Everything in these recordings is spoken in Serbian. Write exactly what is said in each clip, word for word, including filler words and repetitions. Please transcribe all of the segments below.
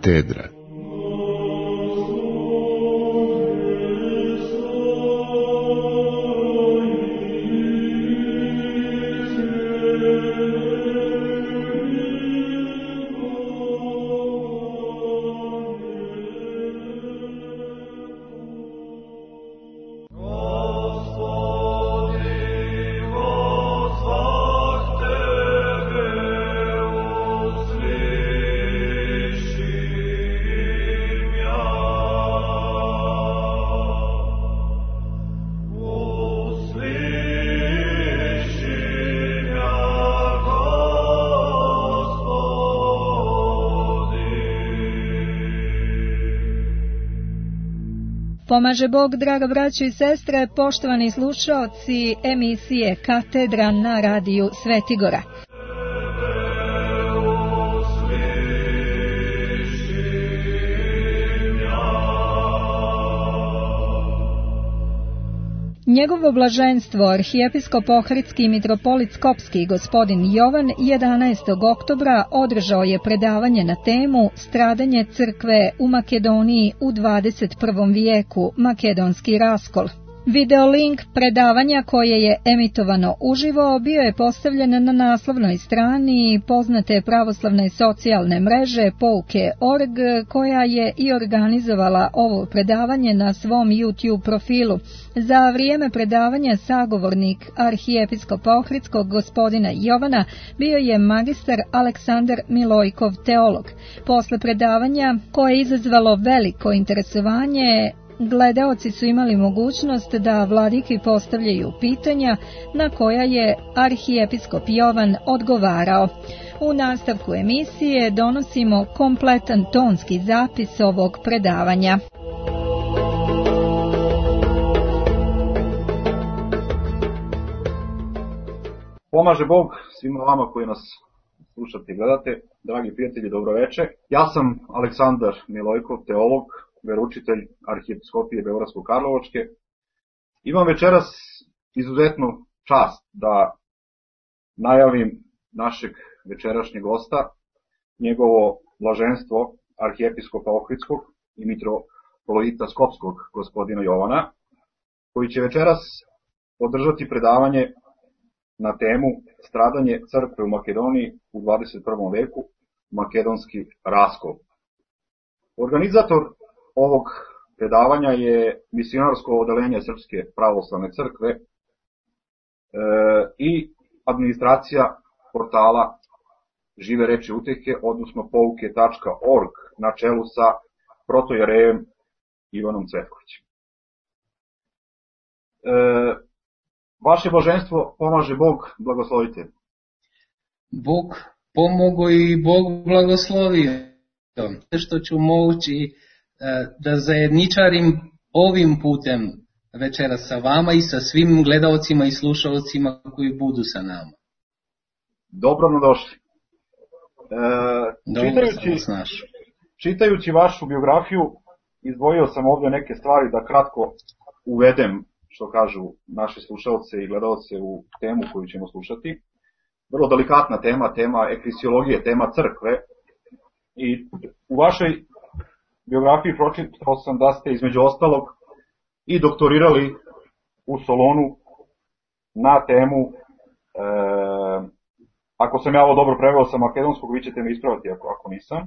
Katedra. Pomaže Bog, draga braćo i sestre, poštovani slušaoci emisije Katedra na radiju Svetigora. Njegovo blaženstvo, arhijepiskop Ohridski i mitropolit Skopski gospodin Jovan, jedanaestog oktobra održao je predavanje na temu Stradanje crkve u Makedoniji u dvadeset prvom vijeku, makedonski raskol. Videolink predavanja koje je emitovano uživo bio je postavljen na naslovnoj strani poznate pravoslavne socijalne mreže Pouke tačka org, koja je i organizovala ovo predavanje na svom YouTube profilu. Za vrijeme predavanja sagovornik arhijepiskopa Ohridskog gospodina Jovana bio je magistar Aleksandar Milojkov, teolog. Posle predavanja, koje je izazvalo veliko interesovanje, gledaoci su imali mogućnost da vladiki postavljaju pitanja na koja je arhijepiskop Jovan odgovarao. U nastavku emisije donosimo kompletan tonski zapis ovog predavanja. Pomaže Bog svima vama koji nas slušate i gledate. Dragi prijatelji, dobroveče. Ja sam Aleksandar Milojkov, teolog, veroučitelj arhijepiskopije Beogradsko-Karlovačke. Imam večeras izuzetnu čast da najavim našeg večerašnjeg gosta, njegovo blaženstvo arhijepiskopa Ohridskog i mitropolita Skopskog gospodina Jovana, koji će večeras održati predavanje na temu Stradanje crkve u Makedoniji u dvadeset prvom veku, makedonski raskol. Organizator ovog predavanja je misionarsko odeljenje Srpske pravoslavne crkve e, i administracija portala Žive reči utehe, odnosno pouke tačka org, na čelu sa protojerejem Ivanom Cvetkovićem. E, vaše blaženstvo, pomaže Bog, blagoslovite. Bog pomogo i Bog blagoslovio. Što ću moći da zajedničarim ovim putem večera sa vama i sa svim gledaocima i slušalcima koji budu sa nama. Dobro nam došli. E, čitajući, čitajući vašu biografiju, izdvojio sam ovdje neke stvari da kratko uvedem, što kažu naše slušalce i gledaoce, u temu koju ćemo slušati. Vrlo delikatna tema, tema eklesiologije, tema crkve. I u vašoj biografiji pročitao sam da ste između ostalog i doktorirali u Solonu na temu, e, ako sam ja ovo dobro preveo sa makedonskog, vi ćete me ispraviti ako, ako nisam, e,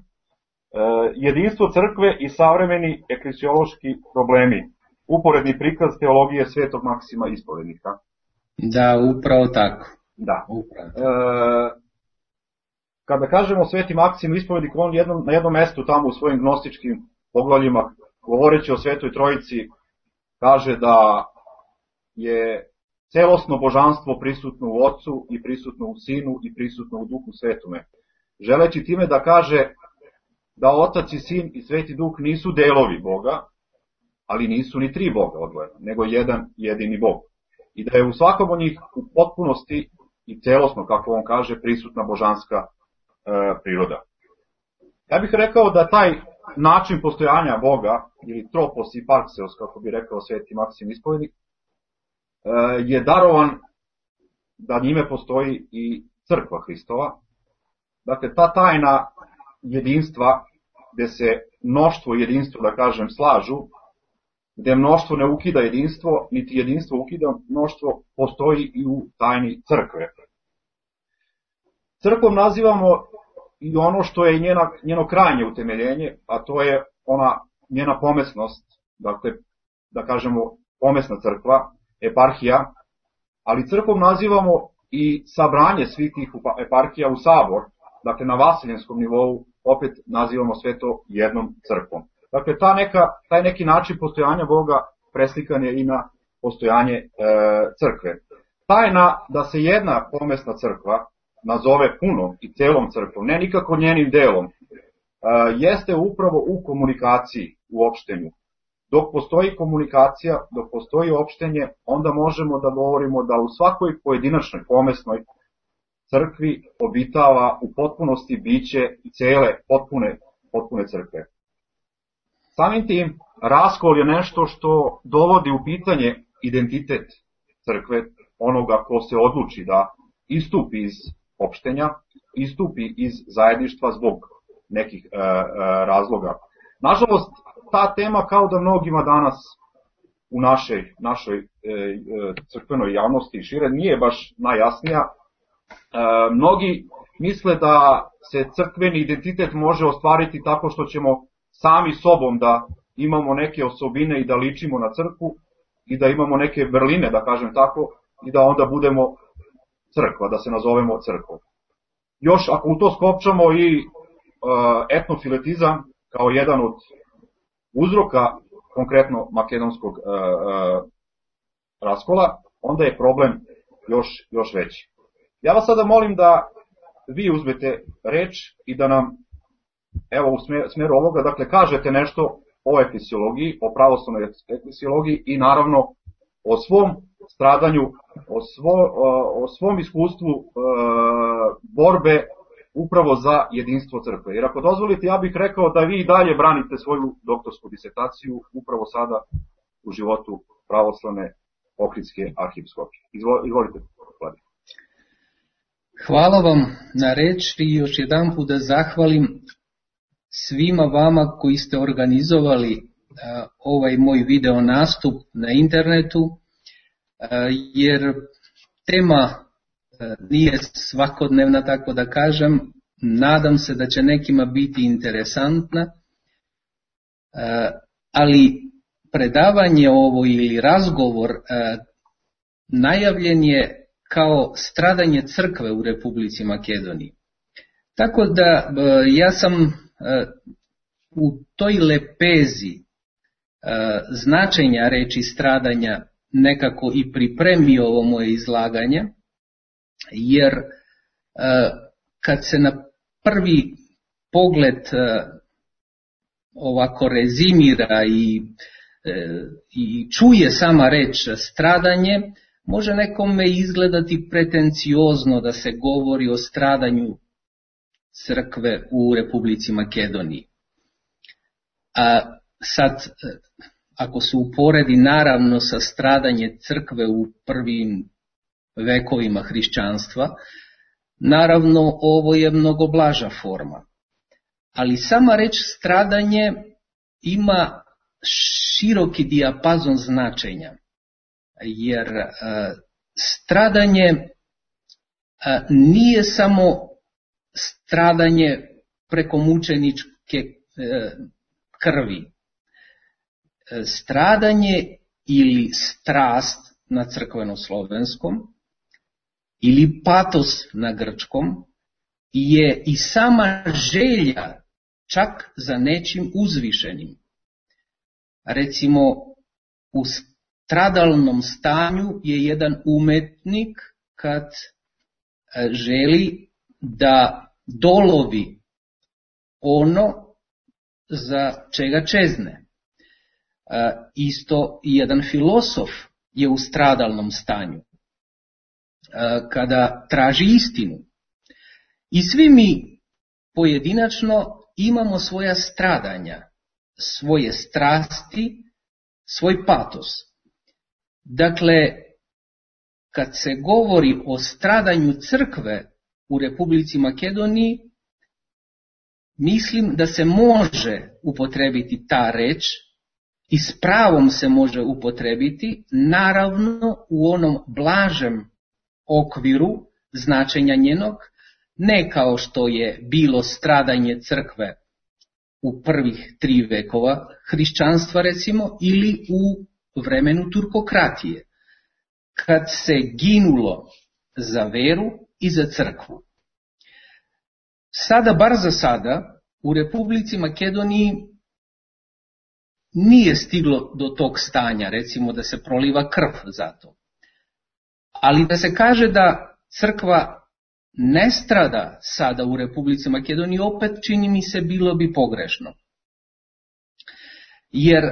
jedinstvo crkve i savremeni eklesiološki problemi, uporedni prikaz teologije Svetog Maksima Ispovednika. Da, upravo tako. Da. Upravo. E, Kada kažemo Sveti Maksim Ispovednik, on jednom, na jednom mestu tamo u svojim gnostičkim poglavljima, govoreći o Svetoj Trojici, kaže da je celosno božanstvo prisutno u Otcu i prisutno u Sinu i prisutno u Duhu Svetome. Želeći time da kaže da Otac i Sin i Sveti Duh nisu delovi Boga, ali nisu ni tri Boga odvojeno, nego jedan jedini Bog. I da je u svakom od njih u potpunosti i celosno, kako on kaže, prisutna božanska priroda. Ja bih rekao da taj način postojanja Boga, ili tropos i parkseos, kako bi rekao Sveti Maksim Ispovednik, je darovan da njime postoji i crkva Hristova. Dakle, ta tajna jedinstva gde se mnoštvo i jedinstvo, da kažem, slažu, gde mnoštvo ne ukida jedinstvo, niti jedinstvo ukida mnoštvo, postoji i u tajni crkve. Crkvom nazivamo i ono što je njena, njeno krajnje utemeljenje, a to je ona njena pomesnost, dakle, da kažemo, pomesna crkva, eparhija, ali crkvom nazivamo i sabranje svih tih eparhija u sabor, dakle, na vasiljenskom nivou opet nazivamo sve to jednom crkvom. Dakle, ta neka, taj neki način postojanja Boga preslikan je i na postojanje e, crkve. Tajna da se jedna pomesna crkva nazove punom i celom crkvom, ne nikako njenim delom, e, jeste upravo u komunikaciji, u opštenju. Dok postoji komunikacija, dok postoji opštenje, onda možemo da govorimo da u svakoj pojedinačnoj pomesnoj crkvi obitava u potpunosti biće i cele potpune, potpune crkve. Samim tim, raskol je nešto što dovodi u pitanje identitet crkve, onoga ko se odluči da istupi iz opštenja, istupi iz zajedništva zbog nekih e, e, razloga. Nažalost, ta tema, kao da mnogima danas u našoj, našoj e, crkvenoj javnosti i šire, nije baš najjasnija. E, mnogi misle da se crkveni identitet može ostvariti tako što ćemo sami sobom da imamo neke osobine i da ličimo na crkvu i da imamo neke vrline, da kažem tako, i da onda budemo crkva, da se nazovemo crkvom. Još ako u to skopčamo i e, etnofiletizam kao jedan od uzroka konkretno makedonskog e, e, raskola, onda je problem još, još veći. Ja vas sada molim da vi uzmete reč i da nam, evo u smjeru ovoga, dakle, kažete nešto o efesiologiji, o pravoslavnoj efesiologiji i naravno o svom stradanju, o, svo, o svom iskustvu e, borbe upravo za jedinstvo crkve. Jer ako dozvolite, ja bih rekao da vi i dalje branite svoju doktorsku disertaciju upravo sada u životu pravoslavne Ohridske arhiepiskopije. Izvolite, Vladi. Hvala vam na reči i još jedan put da zahvalim svima vama koji ste organizovali uh, ovaj moj video nastup na internetu, uh, jer tema uh, nije svakodnevna, tako da kažem. Nadam se da će nekima biti interesantna, uh, ali predavanje ovo ili razgovor uh, najavljen je kao stradanje crkve u Republici Makedoniji. Tako da uh, ja sam uh, u toj lepezi uh, značenja reči stradanja nekako i pripremio ovo moje izlaganje, jer uh, kad se na prvi pogled uh, ovako rezimira i, uh, i čuje sama reč stradanje, može nekome izgledati pretenciozno da se govori o stradanju crkve u Republici Makedoniji. A sad, ako se uporedi naravno sa stradanje crkve u prvim vekovima hrišćanstva, naravno ovo je mnogo blaža forma. Ali sama reč stradanje ima široki dijapazon značenja, jer uh, stradanje uh, nije samo stradanje preko mučeničke uh, krvi. Uh, stradanje ili strast na crkveno-slovenskom ili patos na grčkom je i sama želja čak za nečim uzvišenim. Recimo, u stradalnom stanju je jedan umetnik kad želi da dolovi ono za čega čezne. Isto jedan filosof je u stradalnom stanju kada traži istinu. I svi mi pojedinačno imamo svoja stradanja, svoje strasti, svoj patos. Dakle, kad se govori o stradanju crkve u Republici Makedoniji, mislim da se može upotrebiti ta reč i s pravom se može upotrebiti, naravno u onom blažem okviru značenja njenog, ne kao što je bilo stradanje crkve u prvih tri vekova hrišćanstva recimo, ili u vremenu turkokratije, kad se ginulo za veru i za crkvu. Sada, bar za sada, u Republici Makedoniji nije stiglo do tog stanja, recimo da se proliva krv za to. Ali da se kaže da crkva ne strada sada u Republici Makedoniji, opet čini mi se bilo bi pogrešno. Jer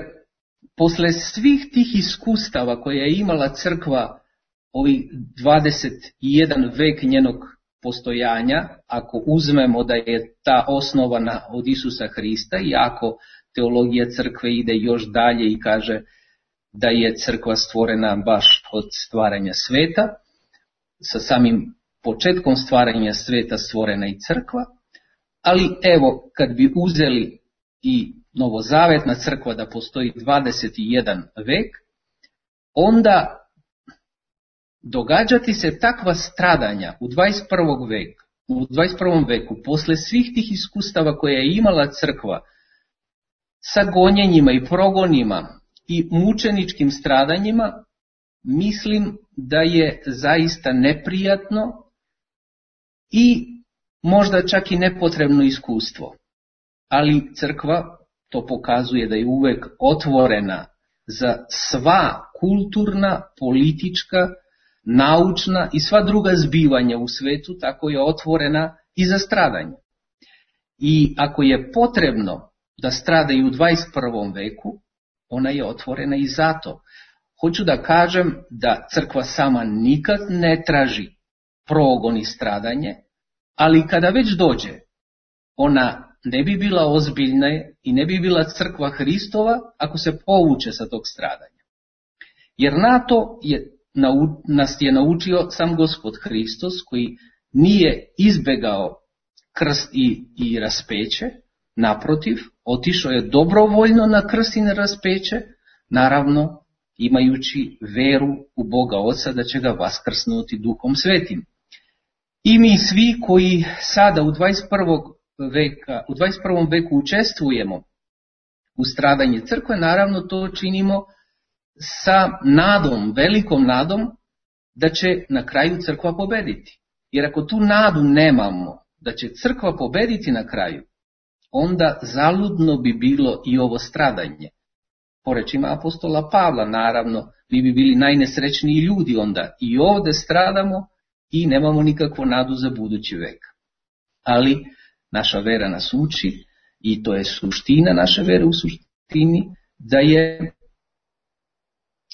posle svih tih iskustava koje je imala crkva ovih dvadeset jedan vek njenog postojanja, ako uzmemo da je ta osnovana od Isusa Hrista i ako teologija crkve ide još dalje i kaže da je crkva stvorena baš od stvaranja sveta, sa samim početkom stvaranja sveta stvorena i crkva, ali evo kad bi uzeli i novozavetna crkva da postoji dvadeset jedan vek, onda događati se takva stradanja u dvadeset prvom veku, u dvadeset prvom veku, posle svih tih iskustava koje je imala crkva sa gonjenjima i progonima i mučeničkim stradanjima, mislim da je zaista neprijatno i možda čak i nepotrebno iskustvo. Ali crkva to pokazuje da je uvek otvorena za sva kulturna, politička, naučna i sva druga zbivanja u svetu, tako je otvorena i za stradanje. I ako je potrebno da strada i u dvadeset prvom veku, ona je otvorena i zato. Hoću da kažem da crkva sama nikad ne traži progon i stradanje, ali kada već dođe, ona ne bi bila ozbiljna i ne bi bila crkva Hristova ako se povuče sa tog stradanja. Jer na to je, nas je naučio sam Gospod Hristos, koji nije izbegao krst i, i raspeće, naprotiv, otišao je dobrovoljno na krst i na raspeće, naravno imajući veru u Boga Oca da će ga vaskrsnuti Duhom Svetim. I mi svi koji sada u dvadeset prvom veka, u dvadeset prvom veku učestvujemo u stradanje crkve, naravno to činimo sa nadom, velikom nadom da će na kraju crkva pobediti. Jer ako tu nadu nemamo da će crkva pobediti na kraju, onda zaludno bi bilo i ovo stradanje. Po rečima apostola Pavla, naravno, mi bi bili najnesrećniji ljudi onda. I ovde stradamo i nemamo nikakvu nadu za budući vek. Ali naša vera nas uči, i to je suština naše vere u suštini, da je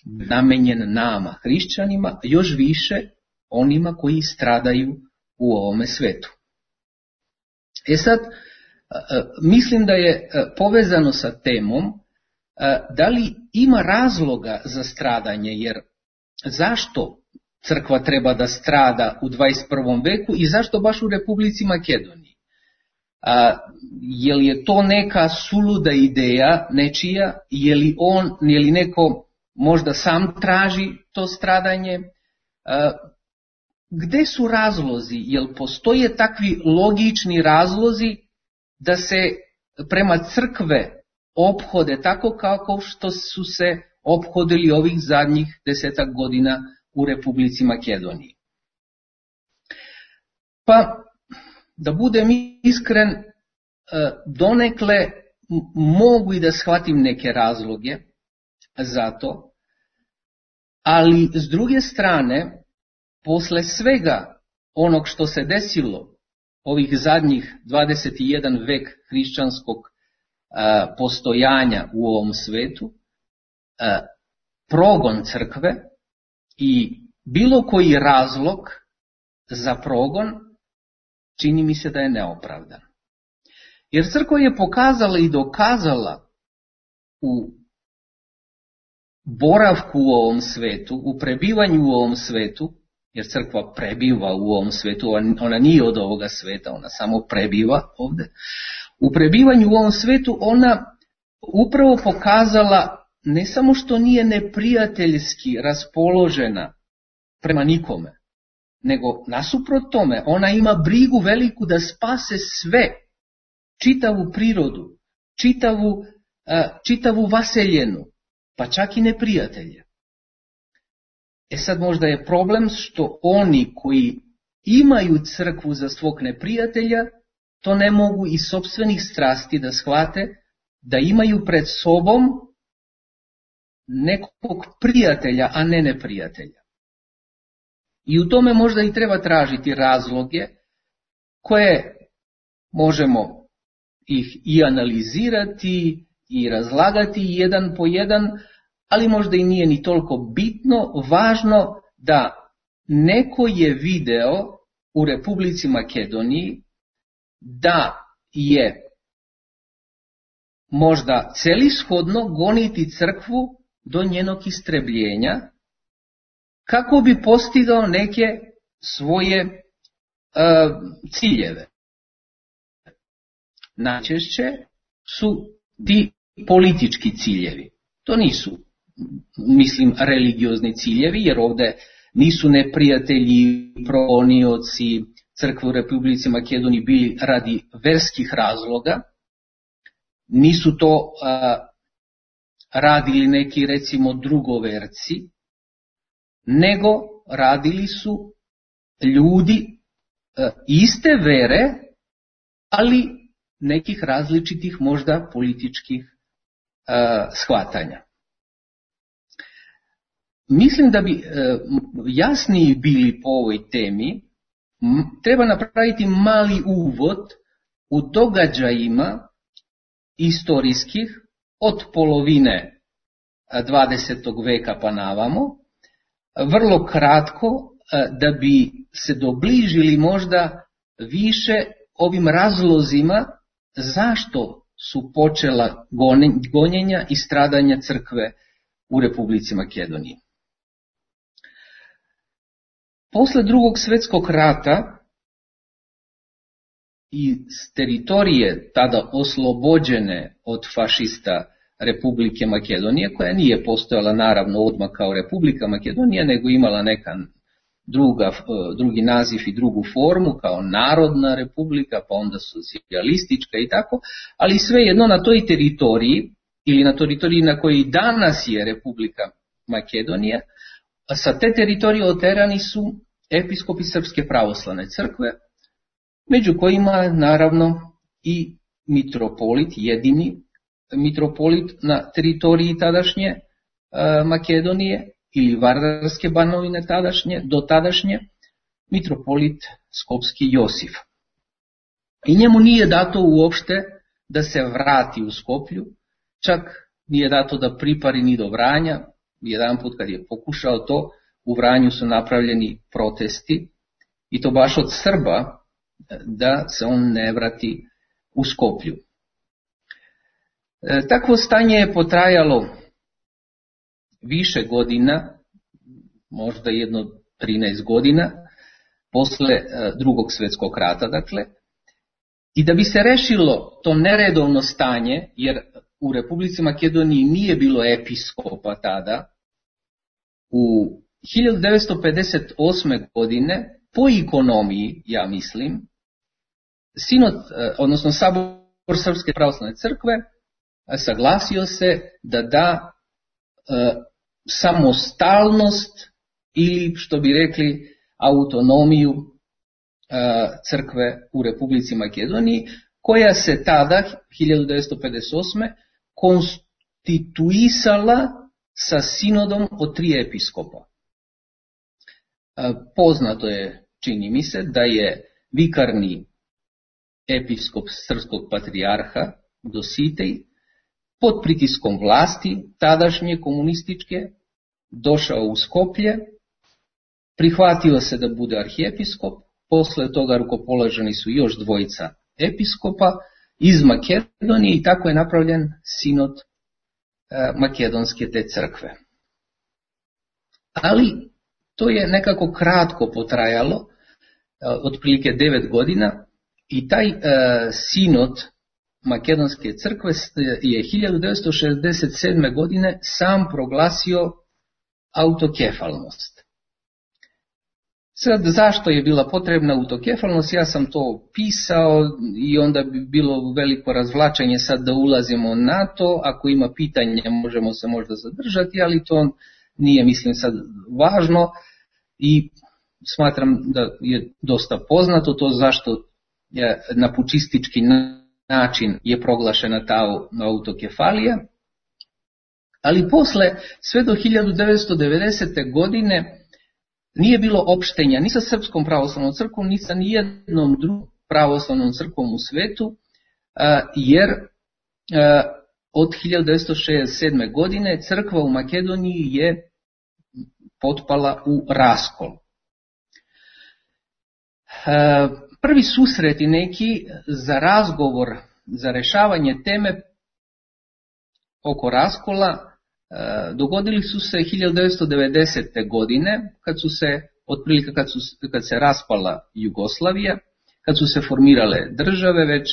namenjen nama, hrišćanima, još više onima koji stradaju u ovome svetu. E sad, mislim da je povezano sa temom da li ima razloga za stradanje, jer zašto crkva treba da strada u dvadeset prvom veku i zašto baš u Republici Makedoniji? A, je li je to neka suluda ideja nečija, je li, on, je li neko možda sam traži to stradanje? A, gde su razlozi? Jel postoje takvi logični razlozi da se prema crkve ophode tako kako što su se ophodili ovih zadnjih desetak godina u Republici Makedoniji? Pa, da budem iskren, donekle mogu i da shvatim neke razloge za to, ali s druge strane, posle svega onog što se desilo ovih zadnjih dvadeset jedan vek hrišćanskog postojanja u ovom svetu, progon crkve i bilo koji razlog za progon čini mi se da je neopravdan. Jer crkva je pokazala i dokazala u boravku u ovom svetu, u prebivanju u ovom svetu, jer crkva prebiva u ovom svetu, ona nije od ovoga sveta, ona samo prebiva ovde, u prebivanju u ovom svetu ona upravo pokazala ne samo što nije neprijateljski raspoložena prema nikome, nego nasuprot tome ona ima brigu veliku da spase sve, čitavu prirodu, čitavu, čitavu vaseljenu, pa čak i neprijatelje. E sad možda je problem što oni koji imaju crkvu za svog neprijatelja, to ne mogu iz sopstvenih strasti da shvate da imaju pred sobom nekog prijatelja, a ne neprijatelja. I u tome možda i treba tražiti razloge koje možemo ih i analizirati i razlagati jedan po jedan, ali možda i nije ni toliko bitno, važno da neko je video u Republici Makedoniji da je možda celishodno goniti crkvu do njenog istrebljenja kako bi postigao neke svoje uh, ciljeve. Najčešće su ti politički ciljevi. To nisu, mislim, religiozni ciljevi, jer ovdje nisu neprijatelji, progonioci crkve u Republici Makedoniji bili radi verskih razloga, nisu to uh, radili neki, recimo, drugoverci, nego radili su ljudi uh, iste vere, ali nekih različitih možda političkih uh, shvatanja. Mislim da bi uh, jasniji bili po ovoj temi, m, treba napraviti mali uvod u događajima istorijskih od polovine dvadesetog veka pa navamo, vrlo kratko, da bi se dobližili možda više ovim razlozima zašto su počela gonjenja i stradanja crkve u Republici Makedoniji. Posle drugog svjetskog rata i s teritorije tada oslobođene od fašista Republike Makedonije, koja nije postojala naravno odmah kao Republika Makedonija, nego imala neka druga, drugi naziv i drugu formu, kao Narodna republika, pa onda socijalistička i tako, ali svejedno na toj teritoriji, ili na teritoriji na kojoj danas je Republika Makedonija, sa te teritorije oterani su episkopi Srpske pravoslavne crkve, među kojima naravno i mitropolit, jedini mitropolit na teritoriji tadašnje e, Makedonije ili Vardarske banovine tadašnje, do tadašnje, mitropolit Skopski Josif. I njemu nije dato uopšte da se vrati u Skoplju, čak nije dato da pripari ni do Vranja. Jedan put kad je pokušao to, u Vranju su napravljeni protesti, i to baš od Srba, da se on ne vrati u Skoplju. E, takvo stanje je potrajalo više godina, možda jedno trinaest godina, posle e, drugog svjetskog rata, dakle, i da bi se rešilo to neredovno stanje, jer u Republici Makedoniji nije bilo episkopa tada, u hiljadu devetsto pedeset osme. godine, po ekonomiji, ja mislim, Sinod, odnosno Sabor Srpske pravoslavne crkve, saglasio se da da e, samostalnost ili, što bi rekli, autonomiju e, crkve u Republici Makedoniji, koja se tada, hiljadu devetsto pedeset osme. konstituisala sa sinodom od tri episkopa. E, poznato je, čini mi se, da je vikarni episkop srpskog patrijarha Dositej pod pritiskom vlasti, tadašnje komunističke, došao u Skoplje, prihvatio se da bude arhijepiskop, posle toga rukopoloženi su još dvojica episkopa iz Makedonije i tako je napravljen sinod e, makedonske te crkve. Ali to je nekako kratko potrajalo, e, otprilike devet godina, i taj e, sinod Makedonske crkve je hiljadu devetsto šezdeset sedme. godine sam proglasio autokefalnost. Sad, zašto je bila potrebna autokefalnost? Ja sam to pisao i onda bi bilo veliko razvlačenje sad da ulazimo na to. Ako ima pitanja možemo se možda zadržati, ali to nije, mislim, sad važno i smatram da je dosta poznato to zašto je na pučistički način je proglašena ta autokefalija. Ali posle, sve do hiljadu devetsto devedesete. godine, nije bilo opštenja ni sa Srpskom pravoslavnom crkvom, ni sa nijednom drugom pravoslavnom crkvom u svetu, jer od hiljadu devetsto šezdeset sedme. godine crkva u Makedoniji je potpala u raskol. Prvi susreti neki za razgovor, za rešavanje teme oko raskola dogodili su se hiljadu devetsto devedesete. godine, kad su se, otprilike kad, su, kad se raspala Jugoslavija, kad su se formirale države već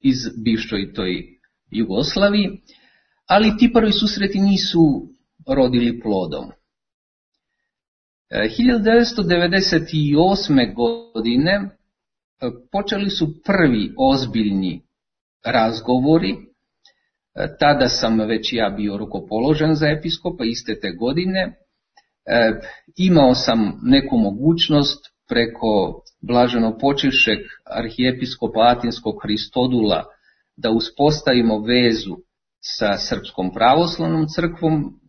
iz bivšoj toj Jugoslaviji, ali ti prvi susreti nisu rodili plodom. hiljadu devetsto devedeset osme. godine počeli su prvi ozbiljni razgovori. Tada sam već ja bio rukopoložen za episkopa iste te godine. E, imao sam neku mogućnost preko blaženopočivšeg arhijepiskopa Atinskog Hristodula da uspostavimo vezu sa Srpskom pravoslavnom crkvom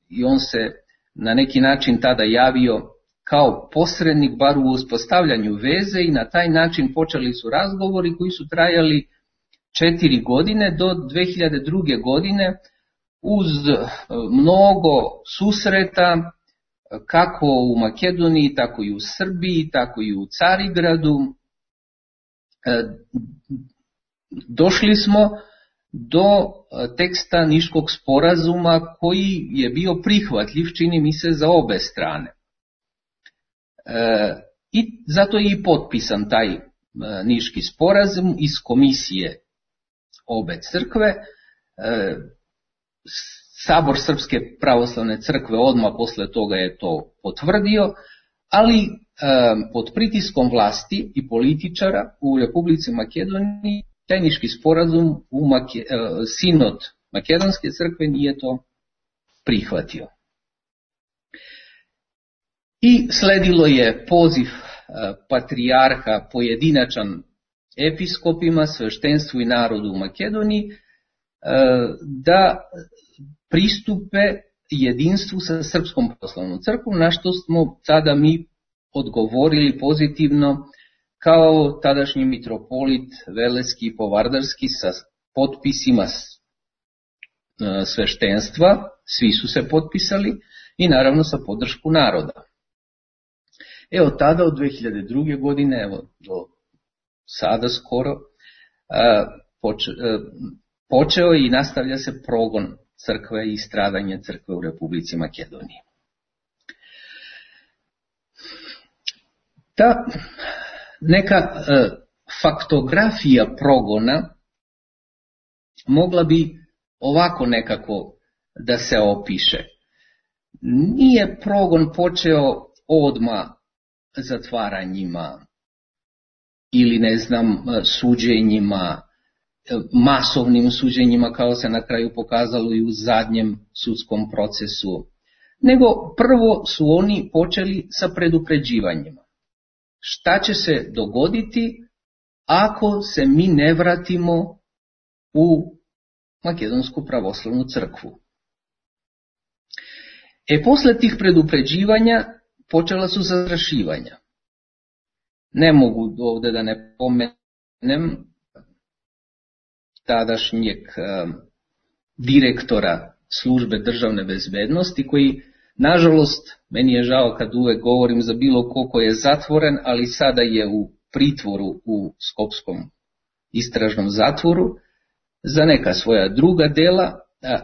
i on se na neki način tada javio kao posrednik bar u uspostavljanju veze i na taj način počeli su razgovori koji su trajali četiri godine do dve hiljade druge. godine uz mnogo susreta kako u Makedoniji, tako i u Srbiji, tako i u Carigradu. Došli smo do teksta Niškog sporazuma koji je bio prihvatljiv, čini mi se, za obe strane. I zato je i potpisan taj Niški sporazum iz komisije obe crkve. Sabor Srpske pravoslavne crkve odmah posle toga je to potvrdio, ali pod pritiskom vlasti i političara u Republici Makedoniji taj Niški sporazum u Make, sinod Makedonske crkve nije to prihvatio. I sledilo je poziv patrijarha pojedinačan episkopima, sveštenstvu i narodu u Makedoniji da pristupe jedinstvu sa Srpskom pravoslavnom crkvom, na što smo tada mi odgovorili pozitivno kao tadašnji mitropolit Veleski i Povardarski sa potpisima sveštenstva, svi su se potpisali i naravno sa podršku naroda. Evo tada od dve hiljade druge. godine, evo do sada skoro, poče, počeo i nastavlja se progon crkve i stradanje crkve u Republici Makedoniji. Ta neka faktografija progona mogla bi ovako nekako da se opiše. Nije progon počeo odmah zatvaranjima ili ne znam suđenjima, masovnim suđenjima kao se na kraju pokazalo i u zadnjem sudskom procesu, nego prvo su oni počeli sa predupređivanjima. Šta će se dogoditi ako se mi ne vratimo u Makedonsku pravoslavnu crkvu? E posle tih predupređivanja počela su zastrašivanja. Ne mogu ovdje da ne pomenem tadašnjeg direktora službe državne bezbednosti koji, nažalost, meni je žao kad uvek govorim za bilo ko ko je zatvoren, ali sada je u pritvoru u Skopskom istražnom zatvoru za neka svoja druga dela,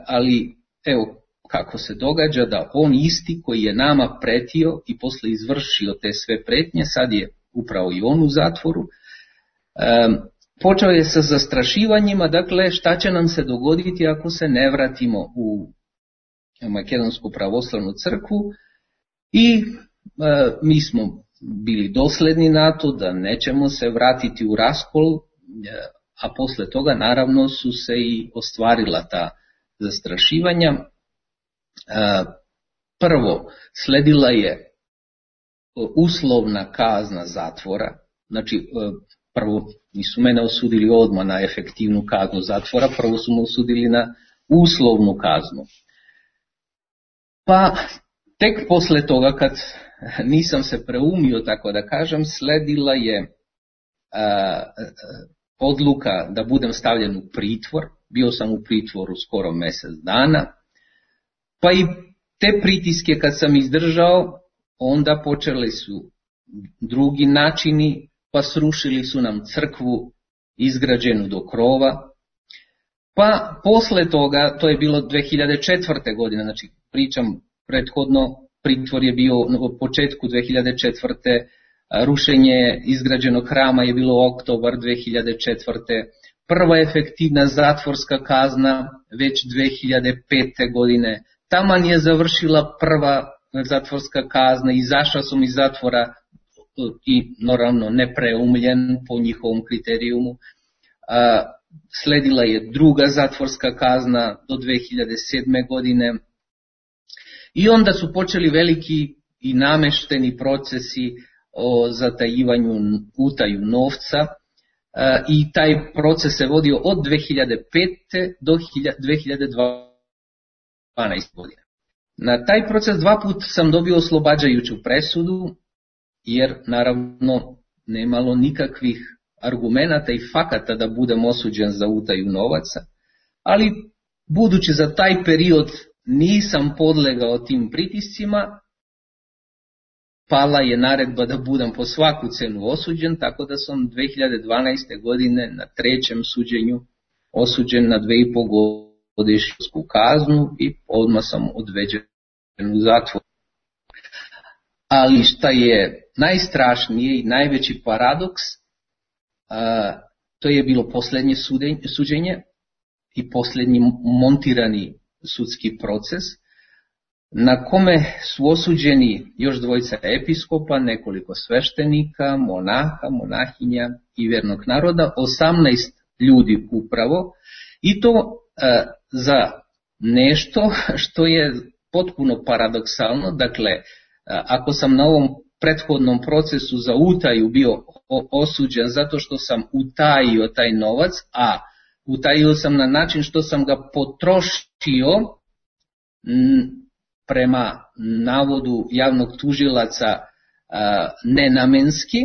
ali evo kako se događa da on isti koji je nama pretio i posle izvršio te sve pretnje, sad je upravo i on u zatvoru. počeo je sa zastrašivanjima, dakle šta će nam se dogoditi ako se ne vratimo u Makedonsku pravoslavnu crkvu, i e, mi smo bili dosledni na to da nećemo se vratiti u raskol, a posle toga naravno su se i ostvarila ta zastrašivanja. E, prvo, sledila je uslovna kazna zatvora, znači e, prvo nisu mene osudili odmah na efektivnu kaznu zatvora, prvo su me osudili na uslovnu kaznu. Pa tek posle toga, kad nisam se preumio, tako da kažem, sledila je a, a, odluka da budem stavljen u pritvor. Bio sam u pritvoru skoro mjesec dana, pa i te pritiske kad sam izdržao, onda počeli su drugi načini, pa srušili su nam crkvu izgrađenu do krova. Pa posle toga, to je bilo dve hiljade četvrte. godine, znači pričam prethodno, pritvor je bio u početku dve hiljade četvrte. Rušenje izgrađenog hrama je bilo oktobar dve hiljade četvrte. Prva efektivna zatvorska kazna već dve hiljade pete. godine. Taman je završila prva zatvorska kazna, izašao sam iz zatvora i naravno nepreumljen po njihovom kriterijumu. Sledila je druga zatvorska kazna do dve hiljade sedme. godine. I onda su počeli veliki i namešteni procesi o zatajivanju, utaju novca, i taj proces se vodio od dve hiljade pete. do dve hiljade dvanaeste. godine. Na taj proces dva put sam dobio oslobađajuću presudu, jer naravno nemalo nikakvih argumenata i fakata da budem osuđen za utaju novaca, ali budući za taj period nisam podlegao tim pritiscima, pala je naredba da budem po svaku cenu osuđen, tako da sam dve hiljade dvanaeste. godine na trećem suđenju osuđen na dve i po godišnju kaznu i odmah sam odveđen u zatvor. Ali šta je najstrašnije i najveći paradoks, a, to je bilo posljednje suđenje i posljednji montirani sudski proces, na kome su osuđeni još dvojica episkopa, nekoliko sveštenika, monaha, monahinja i vjernog naroda, osamnaest ljudi upravo, i to a, za nešto što je potpuno paradoksalno. Dakle, ako sam na ovom prethodnom procesu za utaju bio osuđen zato što sam utajio taj novac, a utajio sam na način što sam ga potrošio prema navodu javnog tužilaca nenamenski,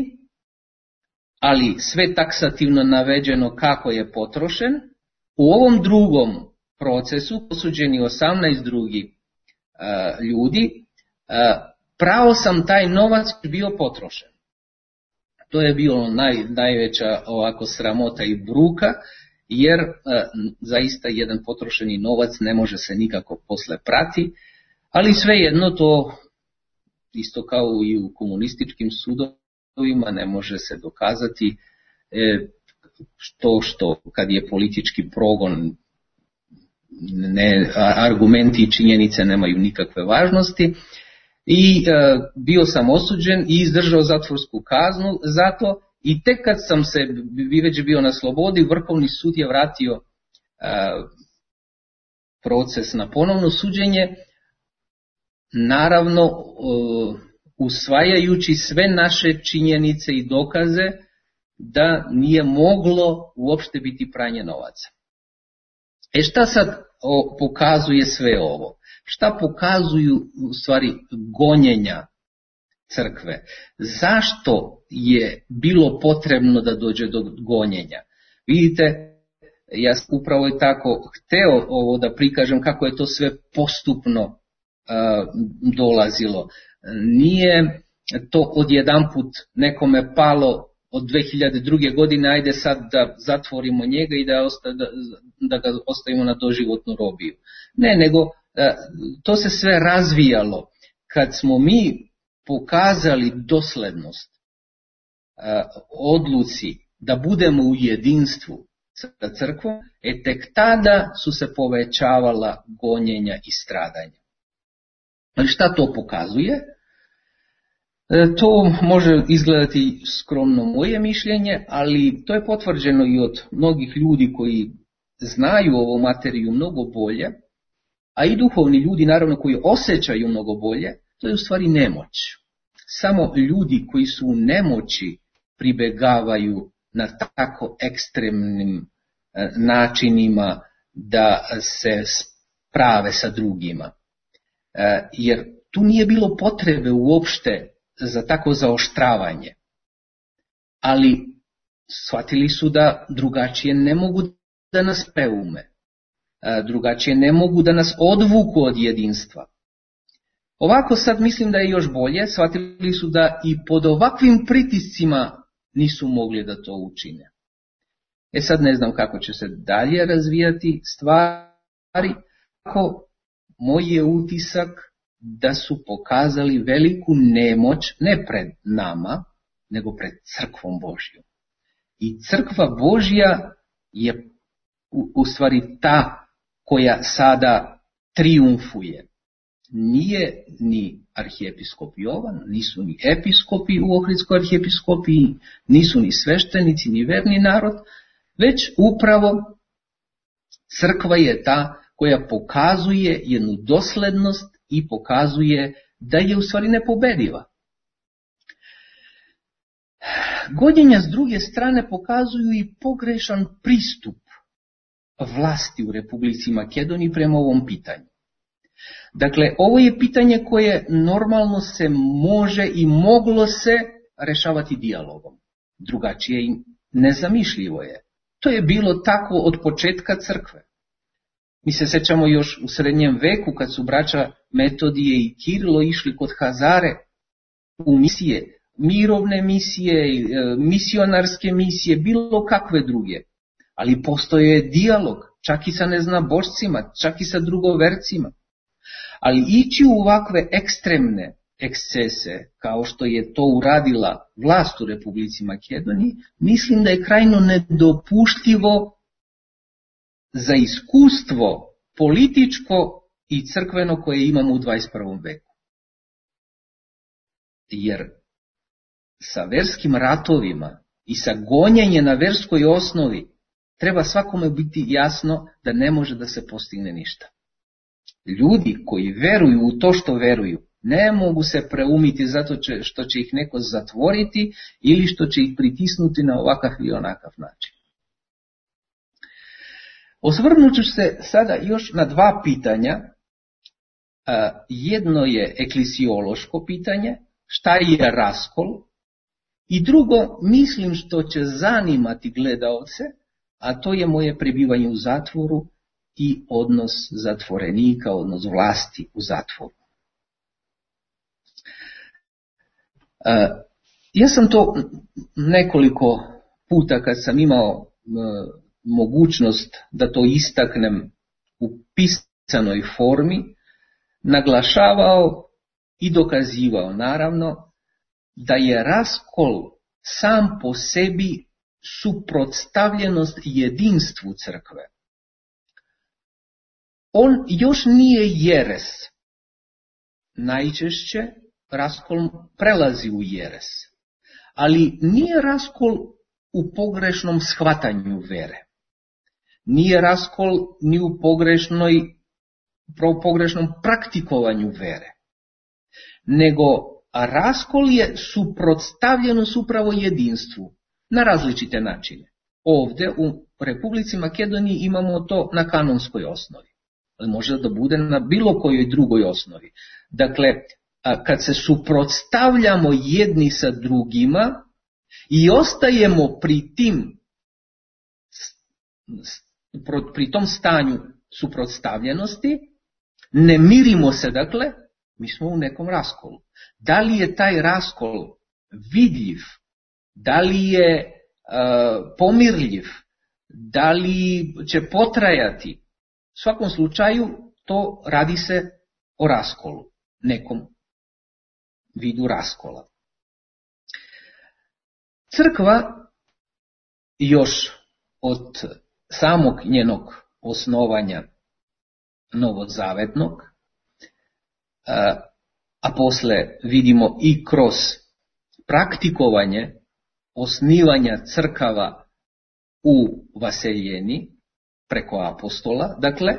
ali sve taksativno navedeno kako je potrošen. U ovom drugom procesu osuđeni osamnaest drugi ljudi, pravo sam taj novac bio potrošen. To je bilo naj, najveća ovako sramota i bruka, jer a, zaista jedan potrošeni novac ne može se nikako posle prati, ali svejedno to isto kao i u komunističkim sudovima ne može se dokazati, e, što što kad je politički progon, ne, argumenti i činjenice nemaju nikakve važnosti. I e, bio sam osuđen i izdržao zatvorsku kaznu zato, i tek kad sam se već bio na slobodi, Vrhovni sud je vratio e, proces na ponovno suđenje, naravno e, usvajajući sve naše činjenice i dokaze da nije moglo uopšte biti pranje novaca. E šta sad o, pokazuje sve ovo? Šta pokazuju u stvari gonjenja crkve? Zašto je bilo potrebno da dođe do gonjenja? Vidite, ja upravo je tako hteo ovo da prikažem kako je to sve postupno uh, dolazilo. Nije to odjedanput nekome palo od dve hiljade druge. godine, ajde sad da zatvorimo njega i da, osta, da, da ga ostavimo na doživotnu robiju. Ne, nego to se sve razvijalo. Kad smo mi pokazali doslednost odluci da budemo u jedinstvu sa crkvom, e tek tada su se povećavala gonjenja i stradanja. Ali šta to pokazuje? To može izgledati skromno moje mišljenje, ali to je potvrđeno i od mnogih ljudi koji znaju ovu materiju mnogo bolje, a i duhovni ljudi naravno koji osjećaju mnogo bolje, to je u stvari nemoć. Samo ljudi koji su u nemoći pribegavaju na tako ekstremnim načinima da se sprave sa drugima. Jer tu nije bilo potrebe uopšte za tako zaoštravanje. Ali shvatili su da drugačije ne mogu da nas preume. Drugačije ne mogu da nas odvuku od jedinstva. Ovako sad mislim da je još bolje, shvatili su da i pod ovakvim pritiscima nisu mogli da to učine. E sad ne znam kako će se dalje razvijati stvari, ako moj je utisak da su pokazali veliku nemoć ne pred nama, nego pred crkvom Božjom. I crkva Božja je u, u stvari ta koja sada triumfuje. Nije ni arhijepiskop Jovan, nisu ni episkopi u Ohridskoj arhijepiskopiji, nisu ni sveštenici, ni verni narod, već upravo crkva je ta koja pokazuje jednu doslednost i pokazuje da je u stvari nepobediva. Gonjenja s druge strane pokazuju i pogrešan pristup vlasti u Republici Makedoniji prema ovom pitanju. Dakle, ovo je pitanje koje normalno se može i moglo se rešavati dijalogom. Drugačije i nezamišljivo je. To je bilo tako od početka crkve. Mi se sećamo još u srednjem veku kad su braća Metodije i Kirilo išli kod Hazare u misije, mirovne misije, misionarske misije, bilo kakve druge. Ali postoje dijalog, čak i sa neznabošcima, čak i sa drugovercima. Ali ići u ovakve ekstremne ekscese, kao što je to uradila vlast u Republici Makedoniji, mislim da je krajno nedopuštivo za iskustvo političko i crkveno koje imamo u dvadeset prvom veku. Jer sa verskim ratovima i sa gonjenjem na verskoj osnovi treba svakome biti jasno da ne može da se postigne ništa. Ljudi koji veruju u to što veruju ne mogu se preumiti zato što će ih neko zatvoriti ili što će ih pritisnuti na ovakav ili onakav način. Osvrnut ću se sada još na dva pitanja. Jedno je eklesiološko pitanje, šta je raskol, i drugo, mislim što će zanimati gledaoce, a to je moje prebivanje u zatvoru i odnos zatvorenika, odnos vlasti u zatvoru. Ja sam to nekoliko puta kad sam imao mogućnost da to istaknem u pisanoj formi, naglašavao i dokazivao naravno da je raskol sam po sebi suprotstavljenost jedinstvu crkve. On još nije jeres. Najčešće raskol prelazi u jeres. Ali nije raskol u pogrešnom shvatanju vere. Nije raskol ni u pogrešnoj, pogrešnom praktikovanju vere. Nego raskol je suprotstavljenost upravo jedinstvu na različite načine. Ovdje u Republici Makedoniji imamo to na kanonskoj osnovi. Ali može da bude na bilo kojoj drugoj osnovi. Dakle, kad se suprotstavljamo jedni sa drugima i ostajemo pri tim, pri tom stanju suprotstavljenosti, ne mirimo se, dakle, mi smo u nekom raskolu. Da li je taj raskol vidljiv, da li je uh, pomirljiv, da li će potrajati, u svakom slučaju to radi se o raskolu, nekom vidu raskola. Crkva još od samog njenog osnovanja novozavetnog, a, a posle vidimo i kroz praktikovanje osnivanja crkava u vaseljeni preko apostola, dakle,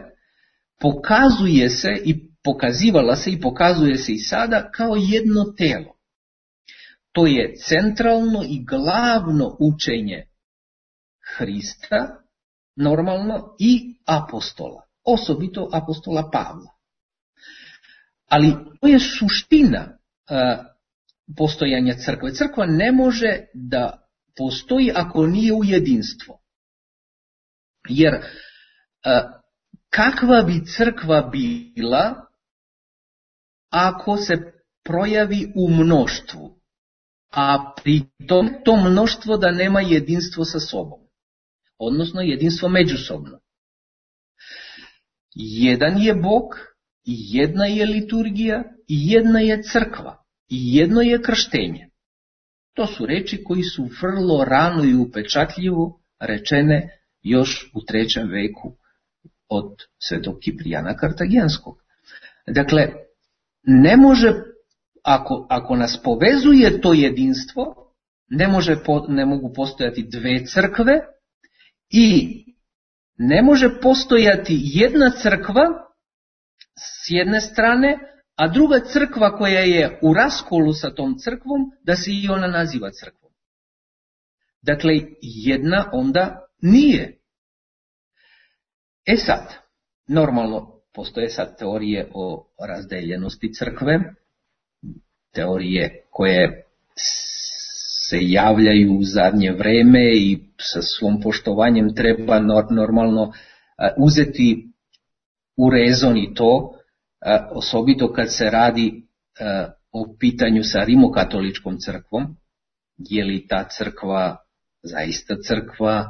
pokazuje se i pokazivala se i pokazuje se i sada kao jedno telo. To je centralno i glavno učenje Hrista, normalno, i apostola, osobito apostola Pavla. Ali to je suština a, postojanja crkve. Crkva ne može da postoji ako nije u jedinstvo. Jer a, kakva bi crkva bila ako se projavi u mnoštvu, a pri tom to mnoštvo da nema jedinstvo sa sobom, odnosno jedinstvo međusobno. Jedan je Bog, jedna je liturgija, jedna je crkva, i jedno je krštenje. To su reči koji su vrlo rano i upečatljivo rečene još u trećem veku od svetog Kiprijana Kartagenskog. Dakle, ne može, ako, ako nas povezuje to jedinstvo, ne, može, ne mogu postojati dve crkve i ne može postojati jedna crkva s jedne strane, a druga crkva koja je u raskolu sa tom crkvom, da se i ona naziva crkvom. Dakle, jedna onda nije. E sad, normalno, postoje sad teorije o razdeljenosti crkve, teorije koje se javljaju u zadnje vreme i sa svom poštovanjem treba normalno uzeti u rezon i to, osobito kad se radi o pitanju sa rimokatoličkom crkvom, je li ta crkva zaista crkva,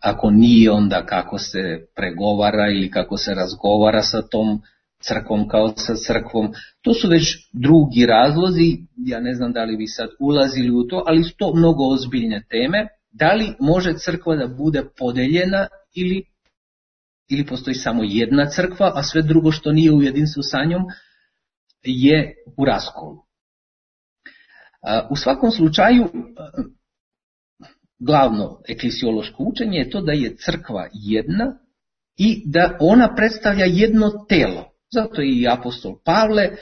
ako nije, onda kako se pregovara ili kako se razgovara sa tom crkvom kao sa crkvom. To su već drugi razlozi, ja ne znam da li bi sad ulazili u to, ali su to mnogo ozbiljne teme. Da li može crkva da bude podeljena ili, ili postoji samo jedna crkva, a sve drugo što nije u jedinstvu sa njom je u raskolu. U svakom slučaju, glavno eklesiološko učenje je to da je crkva jedna i da ona predstavlja jedno telo. Zato je i apostol Pavle uh,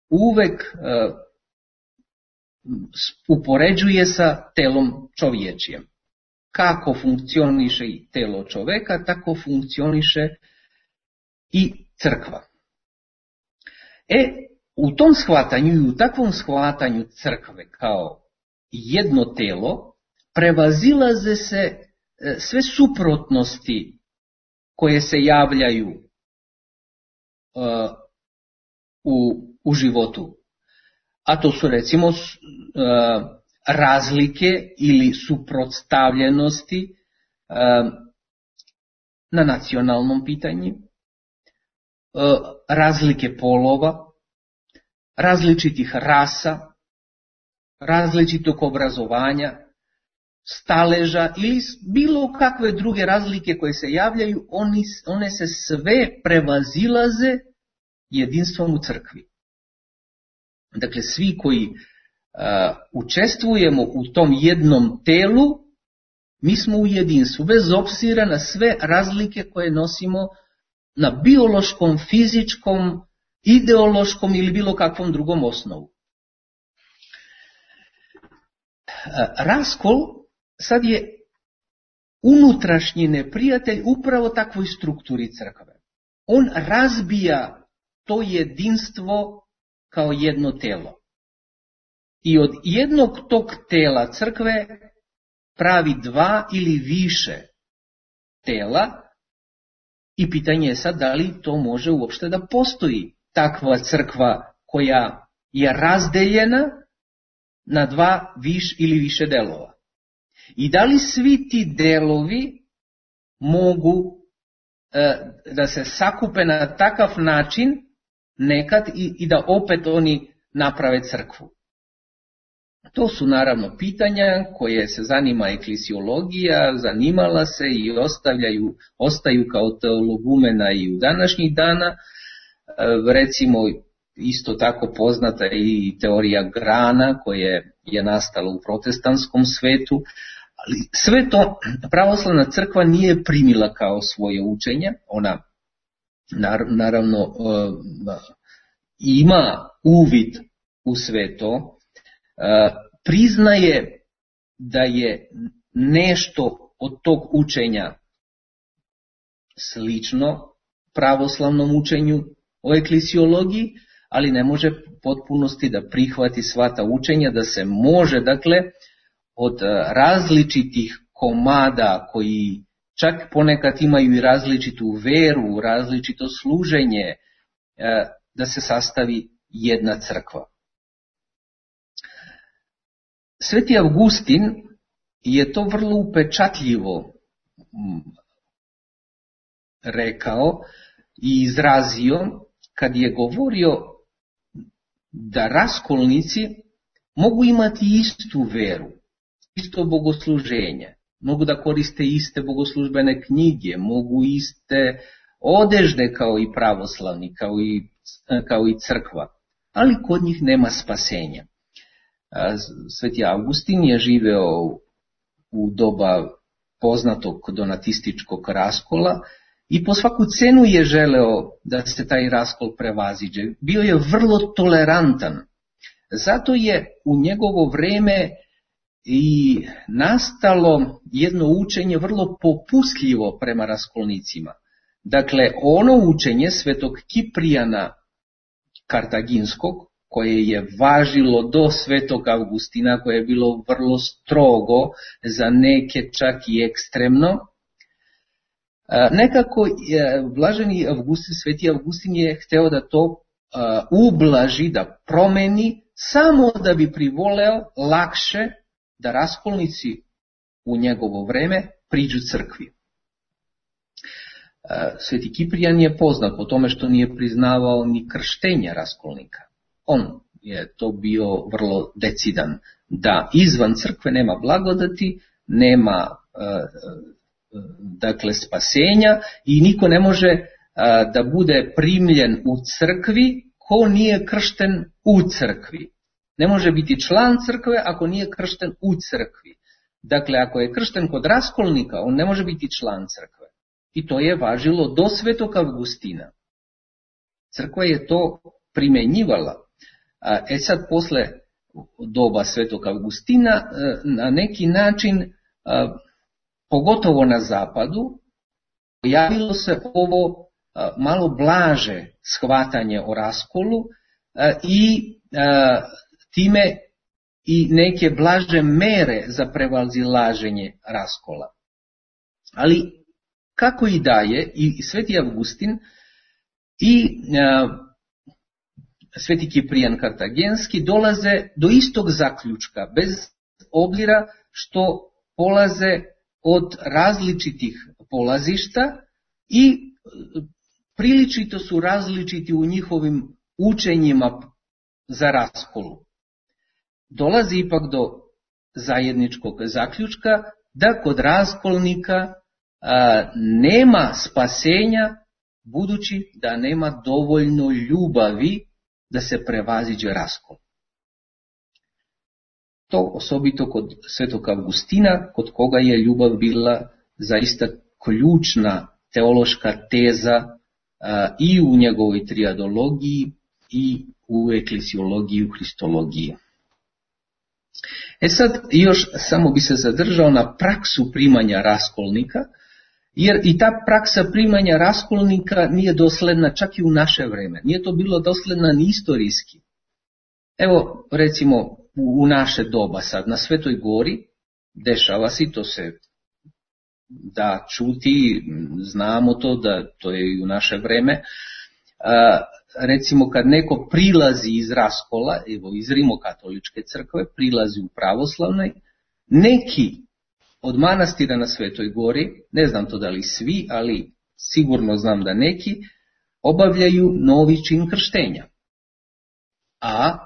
uvek uh, upoređuje sa telom čovječijem. Kako funkcioniše i telo čoveka, tako funkcioniše i crkva. E, u tom shvatanju i u takvom shvatanju crkve kao jedno telo, prevazilaze se sve suprotnosti koje se javljaju uh, u, u životu. A to su recimo uh, razlike ili suprotstavljenosti uh, na nacionalnom pitanju, uh, razlike polova, različitih rasa, različitog obrazovanja, staleža ili bilo kakve druge razlike koje se javljaju, oni, one se sve prevazilaze jedinstvom u crkvi. Dakle, svi koji uh, učestvujemo u tom jednom telu, mi smo u jedinstvu, bez obzira na sve razlike koje nosimo na biološkom, fizičkom, ideološkom ili bilo kakvom drugom osnovu. Raskol sad je unutrašnji neprijatelj upravo takvoj strukturi crkve. On razbija to jedinstvo kao jedno telo. I od jednog tog tela crkve pravi dva ili više tela i pitanje je sad da li to može uopšte da postoji takva crkva koja je razdeljena na dva viš ili više delova. I da li svi ti delovi mogu e, da se sakupe na takav način nekad i, i da opet oni naprave crkvu. To su naravno pitanja koje se zanima eklesiologija, zanimala se i ostavljaju, ostaju kao teologumena i u današnjih dana. Recimo isto tako poznata i teorija grana koja je nastala u protestantskom svetu. Ali sve to pravoslavna crkva nije primila kao svoje učenje. Ona naravno ima uvid u sve to. Priznaje da je nešto od tog učenja slično pravoslavnom učenju o eklesiologiji, ali ne može potpunosti da prihvati sva ta učenja, da se može, dakle, od različitih komada koji čak ponekad imaju i različitu veru, različito služenje, da se sastavi jedna crkva. Sveti Avgustin je to vrlo upečatljivo rekao i izrazio kad je govorio da raskolnici mogu imati istu veru, isto bogosluženje, mogu da koriste iste bogoslužbene knjige, mogu iste odežde kao i pravoslavni, kao i, kao i crkva, ali kod njih nema spasenja. Sveti Avgustin je živeo u doba poznatog donatističkog raskola i po svaku cenu je želeo da se taj raskol prevaziđe. Bio je vrlo tolerantan. Zato je u njegovo vreme i nastalo jedno učenje vrlo popustljivo prema raskolnicima. Dakle, ono učenje svetog Kiprijana Kartaginskog, koje je važilo do svetog Avgustina, koje je bilo vrlo strogo, za neke čak i ekstremno, nekako blaženi Avgustin, sveti Avgustin je hteo da to ublaži, da promeni, samo da bi privoleo lakše da raskolnici u njegovo vreme priđu crkvi. Sveti Kiprijan je poznat po tome što nije priznavao ni krštenja raskolnika. On je to bio vrlo decidan, da izvan crkve nema blagodati, nema dakle spasenja i niko ne može da bude primljen u crkvi ko nije kršten u crkvi. Ne može biti član crkve ako nije kršten u crkvi. Dakle, ako je kršten kod raskolnika, on ne može biti član crkve. I to je važilo do svetog Avgustina. Crkva je to primenjivala. E sad, posle doba svetog Avgustina, na neki način, pogotovo na zapadu, pojavilo se ovo malo blaže shvatanje o raskolu i time i neke blaže mere za prevazilaženje raskola. Ali kako i daje, i sveti Avgustin i sveti Kiprijan Kartagenski dolaze do istog zaključka, bez obzira što polaze od različitih polazišta i priličito su različiti u njihovim učenjima za raskolu. Dolazi ipak do zajedničkog zaključka da kod raskolnika a, nema spasenja, budući da nema dovoljno ljubavi da se prevaziđe raskol. To osobito kod svetog Avgustina, kod koga je ljubav bila zaista ključna teološka teza a, i u njegovoj triadologiji i u eklesiologiji, u hristologiji. E sad još samo bi se zadržao na praksu primanja raskolnika, jer i ta praksa primanja raskolnika nije dosledna čak i u naše vreme. Nije to bilo dosledna ni istorijski. Evo recimo u naše doba sad na Svetoj Gori dešava se, to se da čuti, znamo to da to je i u naše vreme. A, recimo kad neko prilazi iz raskola, evo iz Rimokatoličke crkve, prilazi u pravoslavnoj, neki od manastira na Svetoj Gori, ne znam to da li svi, ali sigurno znam da neki, obavljaju novi čin krštenja. A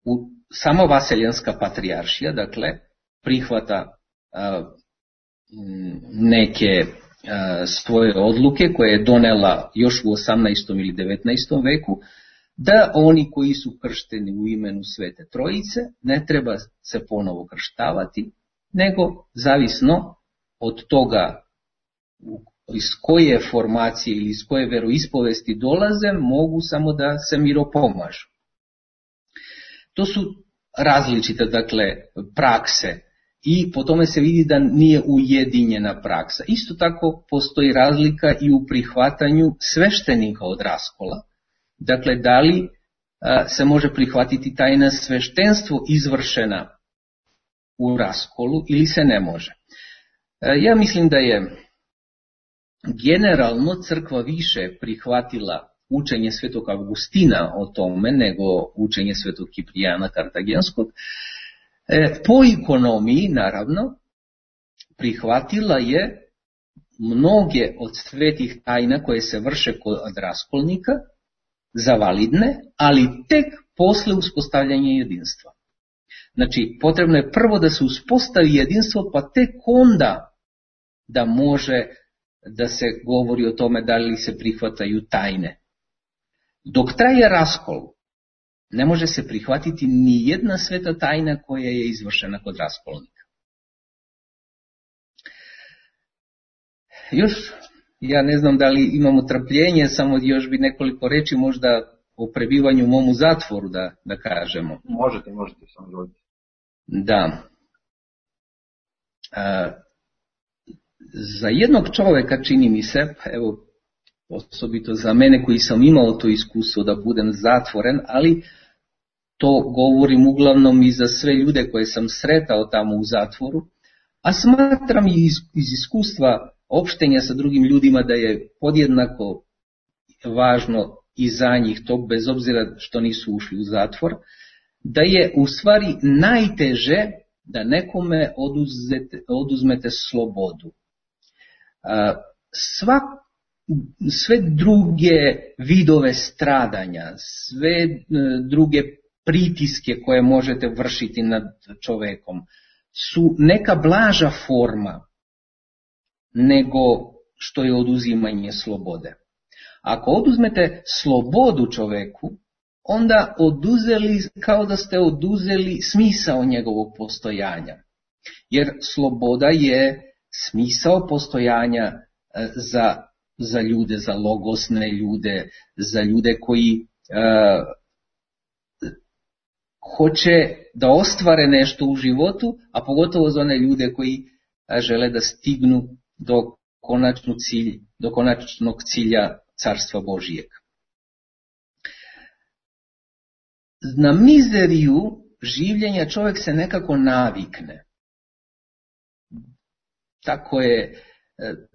u sama Vaseljenska patrijaršija, dakle, prihvata a, neke a, svoje odluke koje je donela još u osamnaestom ili devetnaestom veku, da oni koji su kršteni u imenu Svete Trojice ne treba se ponovo krštavati, nego zavisno od toga iz koje formacije ili iz koje veroispovesti dolaze, mogu samo da se miropomažu. To su različite, dakle, prakse i po tome se vidi da nije ujedinjena praksa. Isto tako postoji razlika i u prihvatanju sveštenika od raskola. Dakle, da li a, se može prihvatiti tajna sveštenstvo izvršena u raskolu ili se ne može. A, ja mislim da je generalno crkva više prihvatila učenje Svetog Avgustina o tome nego učenje Svetog Kiprijana Kartagenskog. E, po ekonomiji, naravno, prihvatila je mnoge od svetih tajna koje se vrše kod raskolnika za validne, ali tek posle uspostavljanja jedinstva. Znači, potrebno je prvo da se uspostavi jedinstvo, pa tek onda da može da se govori o tome da li se prihvataju tajne. Dok traje raskol, ne može se prihvatiti ni jedna sveta tajna koja je izvršena kod raskolnika. Još, ja ne znam da li imamo trpljenje, samo još bi nekoliko reči možda o prebivanju u mom u zatvoru da, da kažemo. Možete, možete samo govoriti. Da. A, za jednog čoveka, čini mi se, evo, osobito za mene koji sam imao to iskustvo da budem zatvoren, ali to govorim uglavnom i za sve ljude koje sam sretao tamo u zatvoru, a smatram i iz, iz iskustva opštenja sa drugim ljudima da je podjednako važno i za njih to, bez obzira što nisu ušli u zatvor, da je u stvari najteže da nekome oduzete, oduzmete slobodu. Sva, sve druge vidove stradanja, sve druge pritiske koje možete vršiti nad čovekom su neka blaža forma nego što je oduzimanje slobode. Ako oduzmete slobodu čoveku, onda oduzeli, kao da ste oduzeli smisao njegovog postojanja. Jer sloboda je smisao postojanja za, za ljude, za logosne ljude, za ljude koji uh, hoće da ostvare nešto u životu, a pogotovo za one ljude koji uh, žele da stignu do, konačnu cilj, do konačnog cilja Carstva Božijeg. Na mizeriju življenja čovjek se nekako navikne. Tako je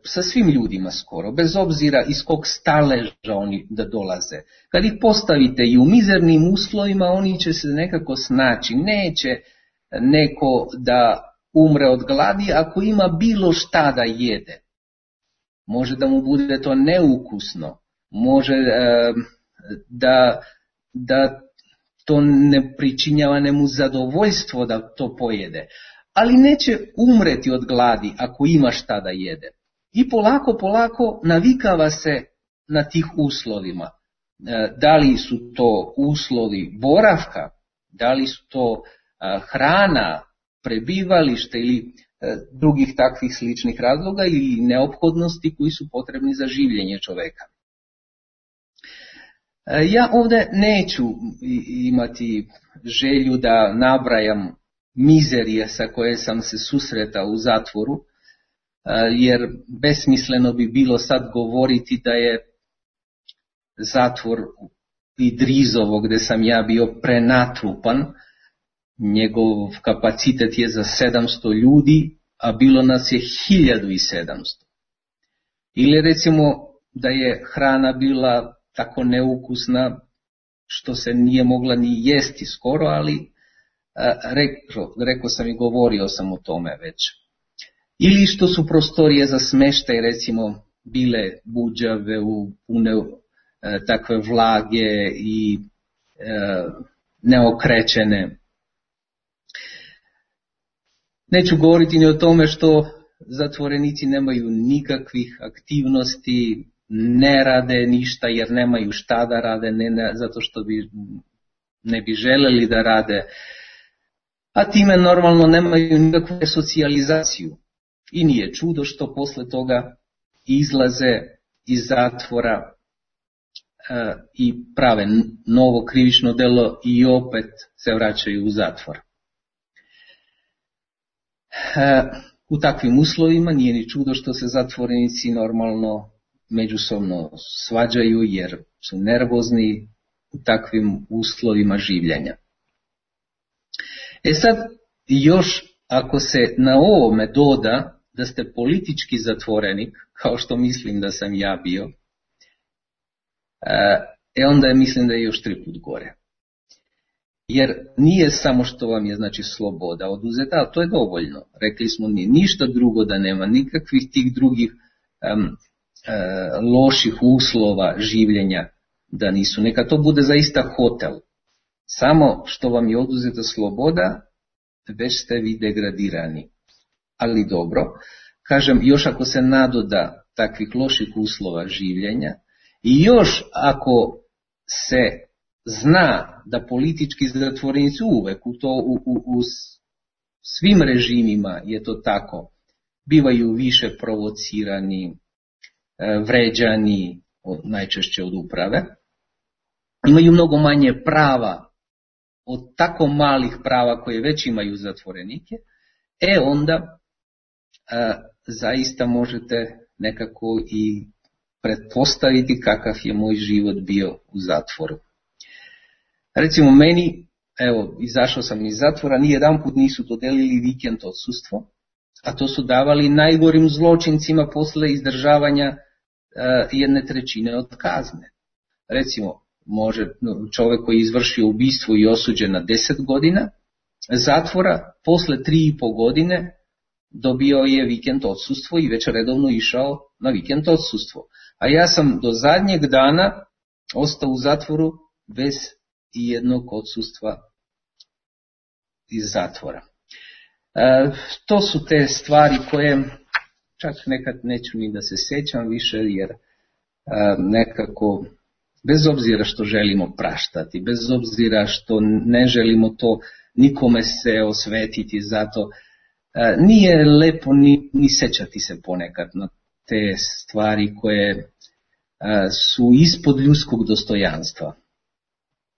sa svim ljudima skoro, bez obzira iz kog staleža oni da dolaze. Kad ih postavite i u mizernim uslovima, oni će se nekako snaći. Neće neko da umre od gladi ako ima bilo šta da jede. Može da mu bude to neukusno, može e, da, da to ne pričinjava nemu zadovoljstvo da to pojede. Ali neće umreti od gladi ako ima šta da jede. I polako, polako navikava se na tih uslovima. Da li su to uslovi boravka, da li su to hrana, prebivalište ili drugih takvih sličnih razloga ili neophodnosti koji su potrebni za življenje čoveka. Ja ovdje neću imati želju da nabrajam mizerije sa koje sam se susretao u zatvoru, jer besmisleno bi bilo sad govoriti da je zatvor Idrizovo gdje sam ja bio prenatrupan, njegov kapacitet je za sedamsto ljudi, a bilo nas je hiljadu i sedamsto. Ili recimo da je hrana bila tako neukusna što se nije mogla ni jesti skoro, ali Rekao, rekao sam i govorio sam o tome već. Ili što su prostorije za smeštaj recimo bile buđave, u pune e, takve vlage i e, neokrećene. Neću govoriti ni o tome što zatvorenici nemaju nikakvih aktivnosti, ne rade ništa jer nemaju šta da rade, ne, ne zato što bi, ne bi želeli da rade, a time normalno nemaju nikakvu socijalizaciju. I nije čudo što posle toga izlaze iz zatvora e, i prave novo krivično delo i opet se vraćaju u zatvor. E, u takvim uslovima nije ni čudo što se zatvorenici normalno međusobno svađaju jer su nervozni u takvim uslovima življenja. E sad, još ako se na ovome doda da ste politički zatvorenik, kao što mislim da sam ja bio, e onda je, mislim da je još tri put gore. Jer nije samo što vam je znači sloboda oduzeta, ali to je dovoljno. Rekli smo ni ništa drugo da nema, nikakvih tih drugih um, uh, loših uslova življenja da nisu. Neka to bude zaista hotel. Samo što vam je oduzeta sloboda, već ste vi degradirani. Ali dobro, kažem, još ako se nadoda takvih loših uslova življenja i još ako se zna da politički zatvorenici uvek u, to, u, u, u svim režimima je to tako, bivaju više provocirani, vređani, najčešće od uprave, imaju mnogo manje prava od tako malih prava koje već imaju zatvorenike, e onda a, zaista možete nekako i pretpostaviti kakav je moj život bio u zatvoru. Recimo meni, evo, izašao sam iz zatvora, ni jedan put nisu dodelili vikend odsustvo, a to su davali najgorim zločincima posle izdržavanja uh, jedne trećine od kazne. Recimo, može čovjek koji je izvršio ubistvo i osuđen na deset godina zatvora, posle tri i po godine dobio je vikend odsustvo i već redovno išao na vikend odsustvo. A ja sam do zadnjeg dana ostao u zatvoru bez i jednog odsustva iz zatvora. E, to su te stvari koje čak nekad neću ni da se sjećam više, jer e, nekako, bez obzira što želimo praštati, bez obzira što ne želimo to nikome se osvetiti, zato e, nije lepo ni, ni sećati se ponekad na te stvari koje e, su ispod ljudskog dostojanstva.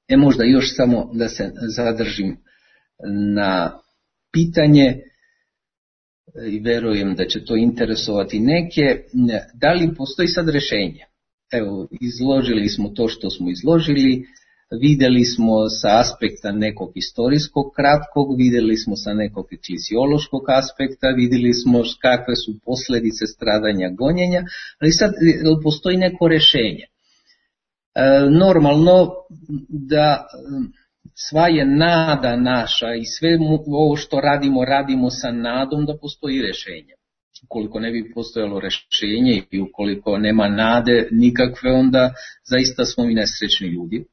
E možda još samo da se zadržim na pitanje i verujem da će to interesovati neke, da li postoji sad rješenje? Evo, izložili smo to što smo izložili, vidjeli smo sa aspekta nekog historijskog kratkog, vidjeli smo sa nekog fiziološkog aspekta, vidjeli smo kakve su posljedice stradanja gonjenja, ali sad postoji neko rješenje. E, normalno da sva je nada naša i sve ovo što radimo, radimo sa nadom da postoji rješenje. Ukoliko ne bi postojalo rješenje i ukoliko nema nade nikakve, onda zaista smo mi nesrećni ljudi.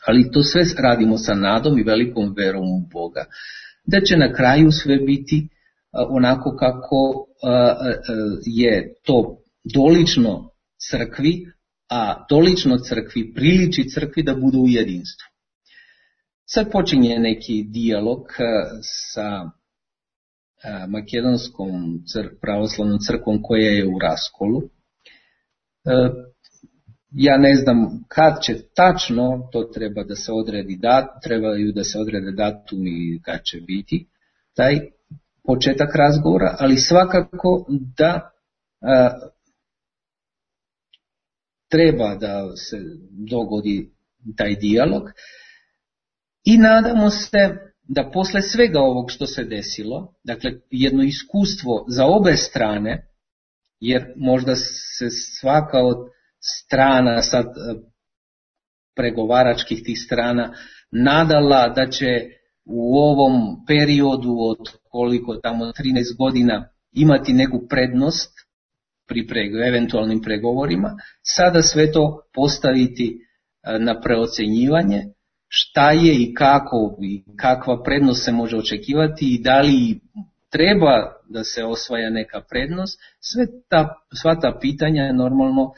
Ali to sve radimo sa nadom i velikom verom u Boga, da će na kraju sve biti onako kako je to dolično crkvi, a dolično crkvi priliči crkvi da bude u jedinstvu. Sad počinje neki dijalog sa makedonskom cr- pravoslavnom crkvom koja je u raskolu. Ja ne znam kad će tačno, to treba da se odredi dat, trebaju da se odrede datum i kad će biti taj početak razgovora, ali svakako da a, treba da se dogodi taj dijalog i nadamo se da posle svega ovog što se desilo, dakle jedno iskustvo za obe strane, jer možda se svaka od strana, sad pregovaračkih tih strana, nadala da će u ovom periodu od koliko tamo trinaest godina imati neku prednost pri prego, eventualnim pregovorima, sada sve to postaviti na preocenjivanje, šta je i kako i kakva prednost se može očekivati i da li treba da se osvaja neka prednost, sve ta, sva ta pitanja normalno uh,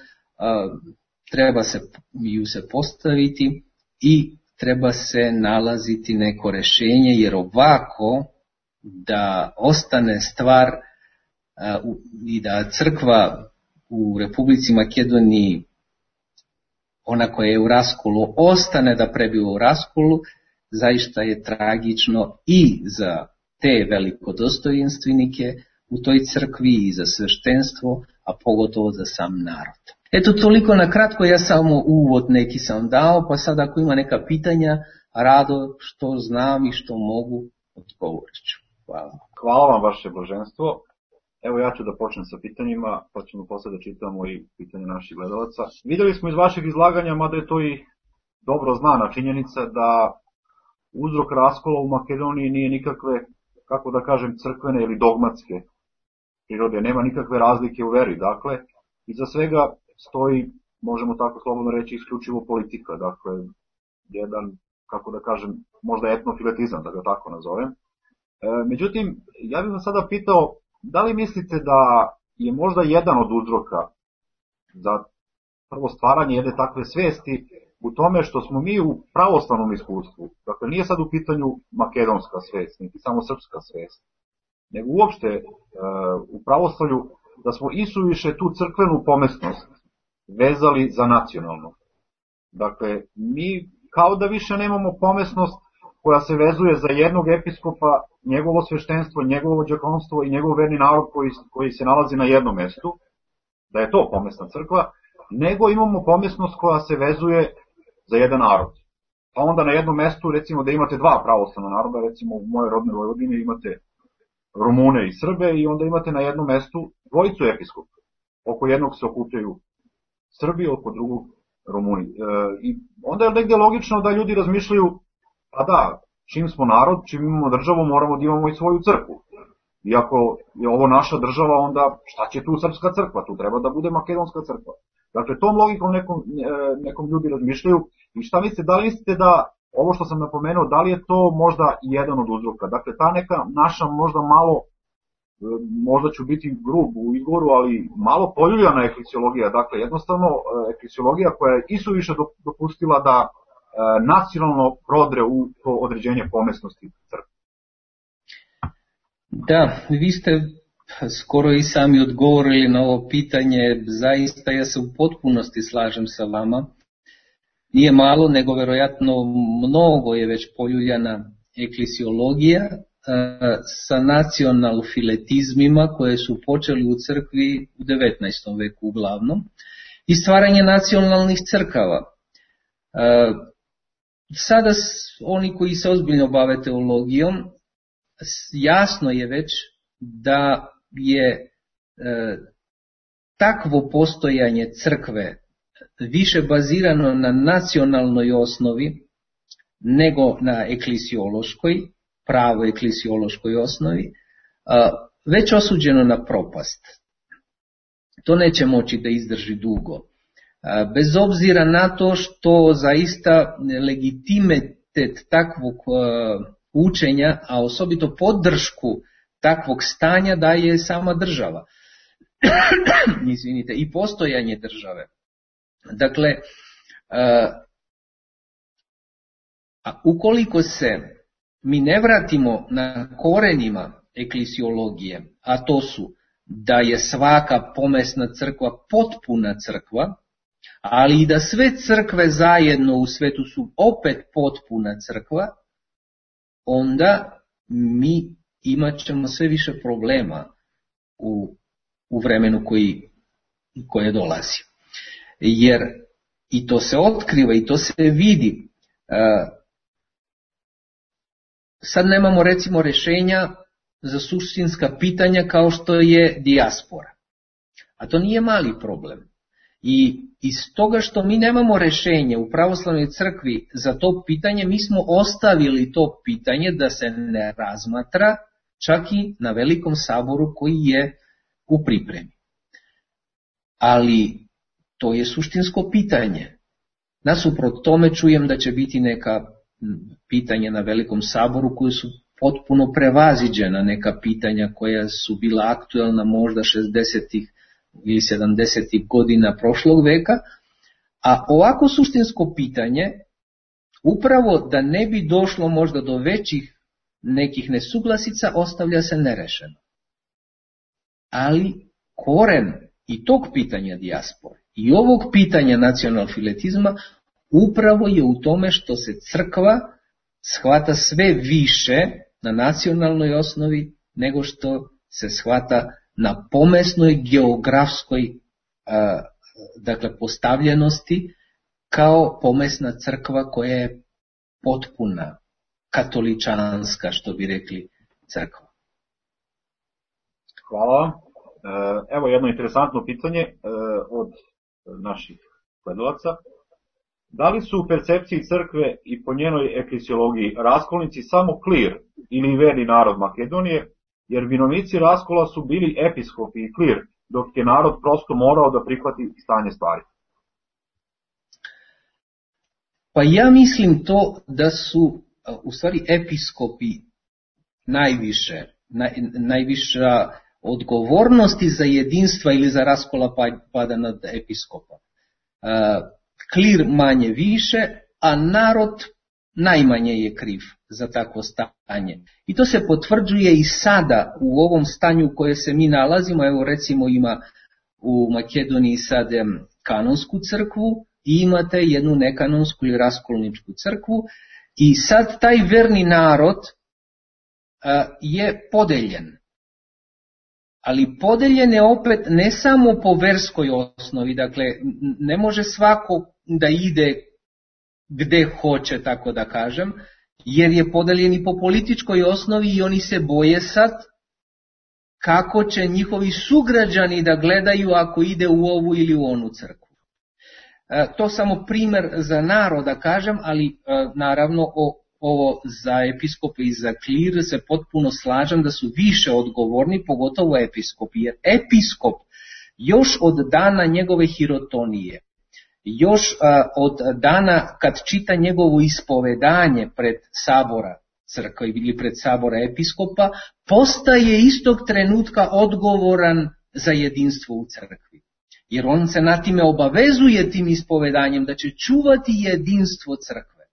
treba se, ju se postaviti i treba se nalaziti neko rješenje, jer ovako da ostane stvar uh, i da crkva u Republici Makedoniji, ona koja je u raskolu, ostane da prebiva u raskolu, zaista je tragično i za te velikodostojanstvenike u toj crkvi i za sveštenstvo, a pogotovo za sam narod. Eto, toliko na kratko, ja samo uvod neki sam dao, pa sad ako ima neka pitanja, rado što znam i što mogu, odgovorit ću. Hvala. Hvala vam, vaše blaženstvo. Evo ja ću da počnem sa pitanjima, pa ćemo posle da čitamo i pitanje naših gledalaca. Videli smo iz vašeg izlaganja, mada je to i dobro znana činjenica, da uzrok raskola u Makedoniji nije nikakve, kako da kažem, crkvene ili dogmatske prirode, nema nikakve razlike u veri, dakle, iza svega stoji, možemo tako slobodno reći, isključivo politika, dakle, jedan, kako da kažem, možda etnofiletizam, da ga tako nazovem. E, međutim, ja bih vas sada pitao, da li mislite da je možda jedan od uzroka za prvo stvaranje jedne takve svesti u tome što smo mi u pravoslavnom iskustvu, dakle nije sad u pitanju makedonska svest, niti samo srpska svest, nego uopšte e, u pravoslavlju da smo isuviše tu crkvenu pomesnost vezali za nacionalno. Dakle, mi kao da više nemamo pomesnost koja se vezuje za jednog episkopa, njegovo sveštenstvo, njegovo đakonstvo i njegov verni narod koji, koji se nalazi na jednom mestu, da je to pomesna crkva, nego imamo pomesnost koja se vezuje za jedan narod. Pa onda na jednom mestu, recimo da imate dva pravoslavna naroda, recimo u mojoj rodnoj Vojvodini imate Rumune i Srbe i onda imate na jednom mestu dvojicu episkopa. Oko jednog se okupljaju Srbi, oko drugog Rumuni. E, I onda je negde logično da ljudi razmišljaju, pa da, čim smo narod, čim imamo državu, moramo da imamo i svoju crkvu. Iako je ovo naša država, onda šta će tu srpska crkva? Tu treba da bude makedonska crkva. Dakle, tom logikom nekom, nekom ljudi razmišljaju. I šta mislite, da li mislite da, ovo što sam napomenuo, da li je to možda jedan od uzroka? Dakle, ta neka naša možda malo, možda ću biti grub u izgovoru, ali malo poljuljana eklesiologija. Dakle, jednostavno eklesiologija koja je isuviše dopustila da nacionalno prodre u to određenje pomesnosti crkve. Da, vi ste skoro i sami odgovorili na ovo pitanje, zaista ja se u potpunosti slažem sa vama. Nije malo, nego verovatno mnogo je već poljuljana eklesiologija e, sa nacionalfiletizmima koje su počeli u crkvi u devetnaestom veku uglavnom i stvaranje nacionalnih crkava. E, sada oni koji se ozbiljno bave teologijom, jasno je već da je e, takvo postojanje crkve više bazirano na nacionalnoj osnovi nego na eklesiološkoj, pravo eklesiološkoj osnovi, a, već osuđeno na propast. To neće moći da izdrži dugo. A, bez obzira na to što zaista legitimitet takvog a, učenja, a osobito podršku takvog stanja daje sama država. Izvinite, i postojanje države. Dakle, a ukoliko se mi ne vratimo na korenima eklesiologije, a to su da je svaka pomesna crkva potpuna crkva, ali i da sve crkve zajedno u svetu su opet potpuna crkva, onda mi imat ćemo sve više problema u, u vremenu koji, koje dolazi. Jer i to se otkriva i to se vidi. Sad nemamo recimo rješenja za suštinska pitanja kao što je dijaspora. A to nije mali problem. I iz toga što mi nemamo rješenje u pravoslavnoj crkvi za to pitanje, mi smo ostavili to pitanje da se ne razmatra čak i na velikom saboru koji je u pripremi. Ali to je suštinsko pitanje. Nasuprot tome čujem da će biti neka pitanja na velikom saboru koje su potpuno prevaziđena neka pitanja koja su bila aktuelna možda šezdesetih ili sedamdesetih godina prošlog veka, a ovako suštinsko pitanje, upravo da ne bi došlo možda do većih nekih nesuglasica, ostavlja se nerešeno. Ali koren i tog pitanja dijaspore i ovog pitanja nacionalfiletizma upravo je u tome što se crkva shvata sve više na nacionalnoj osnovi nego što se shvata na pomesnoj geografskoj a, dakle, postavljenosti kao pomesna crkva koja je potpuna, katoličanska, što bi rekli, crkva. Hvala. Evo jedno interesantno pitanje od naših gledalaca. Da li su u percepciji crkve i po njenoj eklesiologiji raskolnici samo klir ili verni narod Makedonije, jer vinovnici raskola su bili episkopi i klir, dok je narod prosto morao da prihvati stanje stvari? Pa ja mislim to da su u stvari episkopi najviše, naj, najviša odgovornosti za jedinstva ili za raskola pada nad episkopa. Klir manje više, a narod najmanje je kriv za takvo stanje. I to se potvrđuje i sada u ovom stanju u kojem se mi nalazimo. Evo recimo ima u Makedoniji sad kanonsku crkvu i imate jednu nekanonsku ili raskolničku crkvu i sad taj verni narod a, je podeljen. Ali podeljen je opet ne samo po verskoj osnovi, dakle ne može svako da ide gde hoće, tako da kažem, jer je podeljen i po političkoj osnovi i oni se boje sad kako će njihovi sugrađani da gledaju ako ide u ovu ili u onu crkvu. E, to samo primer za narod da kažem, ali e, naravno o, ovo za episkope i za klir se potpuno slažem da su više odgovorni, pogotovo episkopi, jer episkop još od dana njegove hirotonije, još a, od dana kad čita njegovo ispovedanje pred sabora crkve ili pred sabora episkopa, postaje istog trenutka odgovoran za jedinstvo u crkvi. Jer on se na time obavezuje tim ispovedanjem da će čuvati jedinstvo crkve.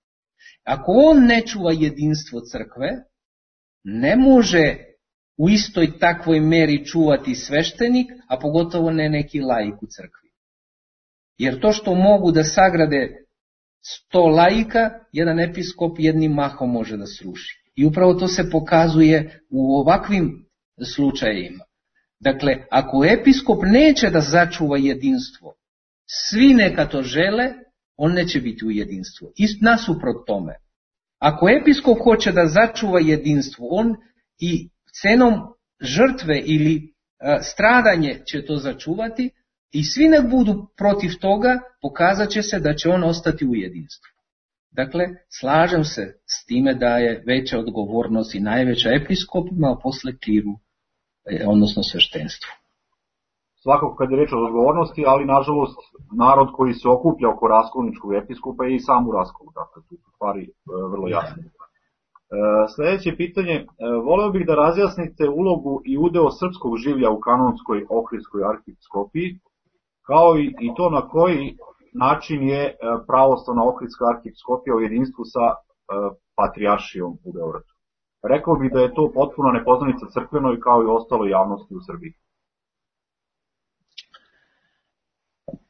Ako on ne čuva jedinstvo crkve, ne može u istoj takvoj meri čuvati sveštenik, a pogotovo ne neki laik u crkvi. Jer to što mogu da sagrade sto laika, jedan episkop jednim mahom može da sruši. I upravo to se pokazuje u ovakvim slučajevima. Dakle, ako episkop neće da začuva jedinstvo, svi neka to žele, on neće biti u jedinstvu. I nasuprot tome, ako episkop hoće da začuva jedinstvo, on i cenom žrtve ili a, stradanje će to začuvati i svi nek budu protiv toga, pokazat će se da će on ostati u jedinstvu. Dakle, slažem se s time da je veća odgovornost i najveća episkopima, a posle kliru, odnosno sveštenstvu. Svakako kad je reč o odgovornosti, ali nažalost narod koji se okuplja oko raskolničkog episkopa je i sam u raskolu, dakle tu su stvari e, vrlo jasne. E, sljedeće pitanje, e, voleo bih da razjasnite ulogu i udeo srpskog življa u kanonskoj ohridskoj arhiepiskopiji, kao i, i to na koji način je e, pravoslavna ohridska arhiepiskopija u jedinstvu sa e, patrijaršijom u Beogradu. Rekao bih da je to potpuno nepoznanica crkvenoj kao i ostaloj javnosti u Srbiji.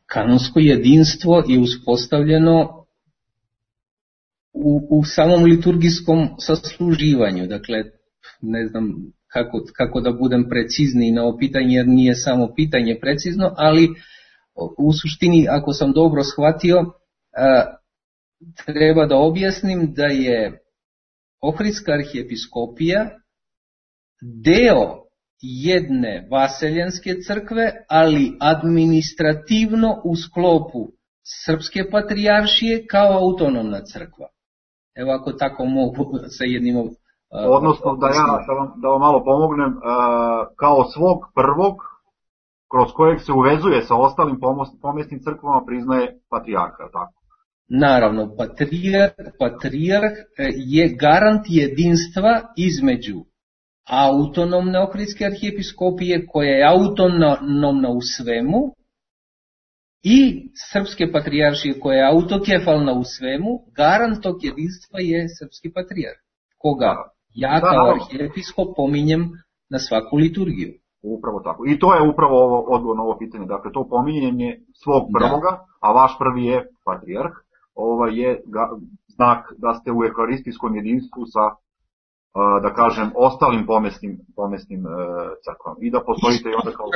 Kanonsko jedinstvo je uspostavljeno u, u samom liturgijskom sasluživanju. Dakle, ne znam kako, kako da budem precizniji na ovo pitanje, jer nije samo pitanje precizno, ali u suštini, ako sam dobro shvatio, treba da objasnim da je Ohridska arhiepiskopija deo jedne vaseljenske crkve, ali administrativno u sklopu Srpske patrijaršije kao autonomna crkva. Evo ako tako mogu sa jednim... Uh, Odnosno da ja da vam, da vam malo pomognem, uh, kao svog prvog, kroz kojeg se uvezuje sa ostalim pomesnim crkvama, priznaje patrijarha, tako? Naravno, patrijarh, patrijarh je garant jedinstva između autonomne Ohridske arhijepiskopije, koja je autonomna u svemu, i Srpske patrijaršije, koja je autokefalna u svemu. Garant tog jedinstva je Srpski patrijarh, koga ja kao arhijepiskop pominjem na svaku liturgiju. Upravo tako. I to je upravo ovo odgovor na ovo pitanje. Dakle, to pominjenje svog prvoga, da. A vaš prvi je patrijarh, ovo je ga, znak da ste u euharistijskom jedinstvu sa, da kažem, ostalim pomesnim, pomesnim uh, crkvama. I da postojite i onda kao...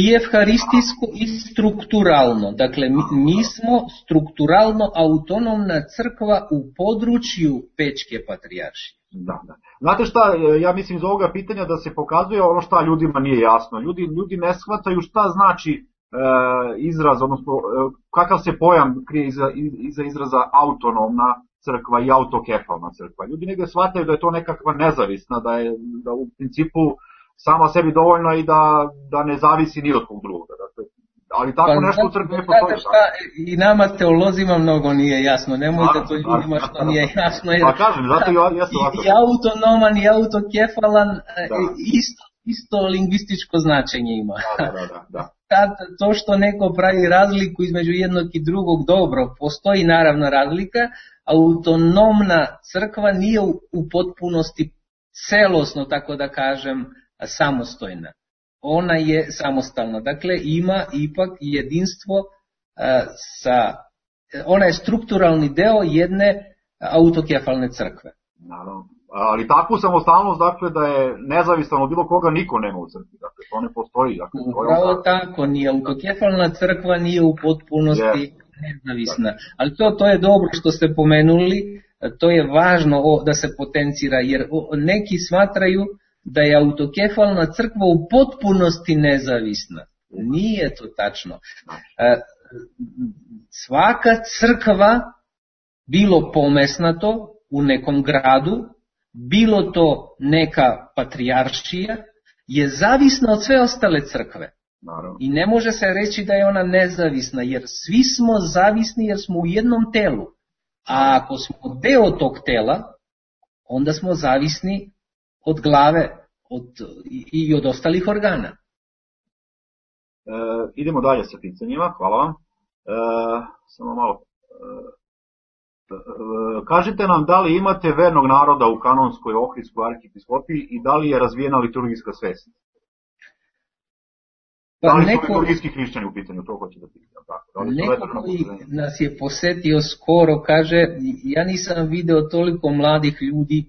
I evharistijsko i strukturalno. Dakle, mi, mi smo strukturalno autonomna crkva u području Pečke patrijaršije. Da, da. Znate šta, ja mislim iz ovoga pitanja da se pokazuje ono šta ljudima nije jasno. Ljudi, ljudi ne shvataju šta znači e, izraz, odnosno e, kakav se pojam krije iza, iza izraza autonomna crkva i autokefalna crkva. Ljudi negdje shvataju da je to nekakva nezavisna, da je da u principu sama sebi dovoljna i da, da ne zavisi ni od kog drugoga. Dakle, ali tako pa, nešto u crkvi ne postoji. Šta, i nama teolozima mnogo nije jasno, nemojte to ljudima što nije jasno. Jer, pa kažem, zato i, jesu ovako. I autonoman i autokefalan isto, isto lingvističko značenje ima. Da, da, da, da. Kad to što neko pravi razliku između jednog i drugog, dobro, postoji naravno razlika, autonomna crkva nije u, u potpunosti celosno, tako da kažem, samostojna. Ona je samostalna, dakle ima ipak jedinstvo a, sa, ona je strukturalni deo jedne autokefalne crkve. Naravno, ali takvu samostalnost, dakle, da je nezavistan od bilo koga, niko nema u crkvi, dakle, to ne postoji. Dakle, upravo to tako, ni autokefalna crkva nije u potpunosti yes. nezavisna, ali to, to je dobro što ste pomenuli, to je važno o, da se potencira, jer o, neki smatraju da je autokefalna crkva u potpunosti nezavisna. Nije to tačno. Svaka crkva, bilo pomesnato u nekom gradu, bilo to neka patrijaršija, je zavisna od sve ostale crkve. I ne može se reći da je ona nezavisna, jer svi smo zavisni jer smo u jednom telu. A ako smo deo tog tela, onda smo zavisni od glave od, i, i od ostalih organa. E, idemo dalje sa pitanjima, hvala vam. E, samo malo. E, e, kažite nam da li imate vernog naroda u kanonskoj Ohridskoj arhijepiskopiji i da li je razvijena liturgijska svest? Pa da li neko, su liturgijski hrišćani u pitanju, to hoće da pitam. Da neko koji nas je posetio skoro kaže, ja nisam video toliko mladih ljudi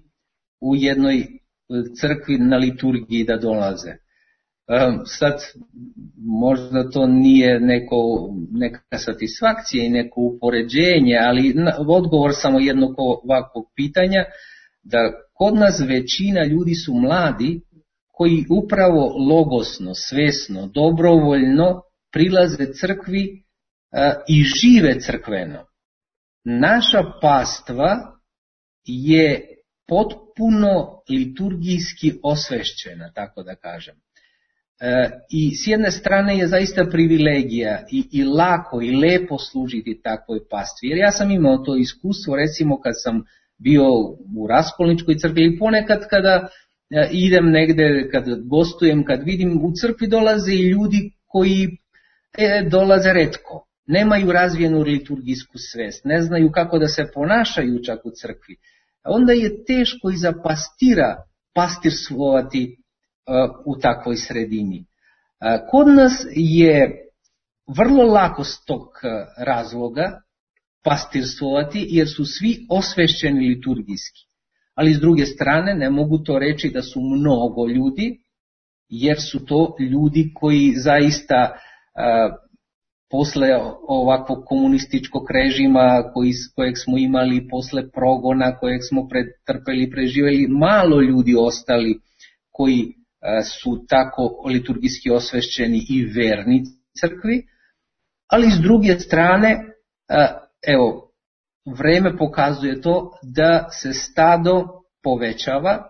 u jednoj crkvi na liturgiji da dolaze. Um, sad, možda to nije neko, neka satisfakcija i neko upoređenje, ali na, odgovor samo jednog ovakvog pitanja, da kod nas većina ljudi su mladi koji upravo logosno, svesno, dobrovoljno prilaze crkvi uh, i žive crkveno. Naša pastva je potpuno liturgijski osvešćena, tako da kažem. E, I s jedne strane je zaista privilegija i, i lako i lepo služiti takvoj pastvi. Jer ja sam imao to iskustvo, recimo kad sam bio u Raskolničkoj crkvi ili ponekad kada e, idem negde, kad gostujem, kad vidim u crkvi dolaze i ljudi koji e, dolaze retko. Nemaju razvijenu liturgijsku svest, ne znaju kako da se ponašaju čak u crkvi. Onda je teško i za pastira pastirstvovati uh, u takvoj sredini. Uh, kod nas je vrlo lako s tog uh, razloga pastirstvovati jer su svi osvešćeni liturgijski. Ali s druge strane ne mogu to reći da su mnogo ljudi, jer su to ljudi koji zaista uh, posle ovakvog komunističkog režima koji, kojeg smo imali, posle progona kojeg smo pretrpeli i preživjeli, malo ljudi ostali koji a, su tako liturgijski osvešćeni i verni crkvi, ali s druge strane, a, evo, vreme pokazuje to da se stado povećava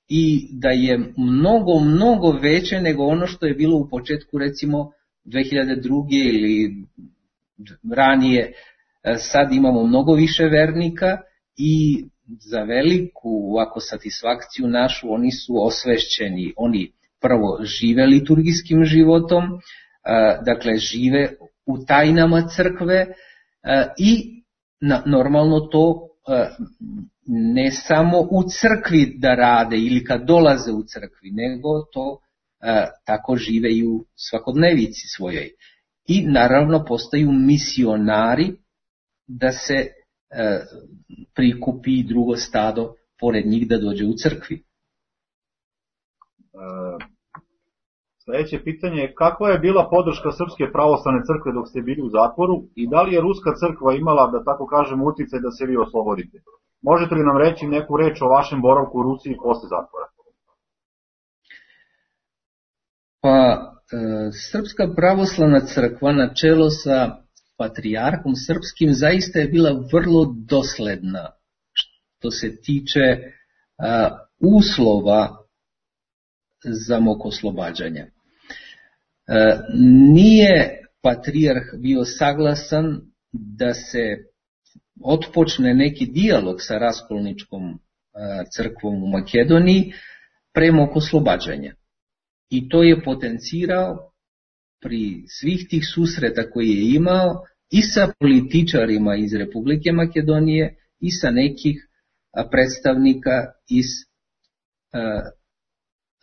i da je mnogo, mnogo veće nego ono što je bilo u početku, recimo, dve hiljade druge ili ranije, sad imamo mnogo više vernika i za veliku ovako satisfakciju našu oni su osvešćeni, oni prvo žive liturgijskim životom, dakle žive u tajnama crkve i normalno to ne samo u crkvi da rade ili kad dolaze u crkvi, nego to tako žive i u svakodnevici svojoj. I naravno postaju misionari da se prikupi drugo stado pored njih da dođe u crkvi. Sljedeće pitanje je kakva je bila podrška Srpske pravoslavne crkve dok ste bili u zatvoru i da li je Ruska crkva imala, da tako kažem, uticaj da se vi oslobodite? Možete li nam reći neku reč o vašem boravku u Rusiji posle zatvora? Pa, Srpska pravoslavna crkva na čelo sa patrijarhom srpskim zaista je bila vrlo dosledna što se tiče uslova za mog oslobađanja. Nije patrijarh bio saglasan da se otpočne neki dijalog sa raskolničkom crkvom u Makedoniji pre mog oslobađanja. I to je potencirao pri svih tih susreta koje je imao i sa političarima iz Republike Makedonije i sa nekih predstavnika iz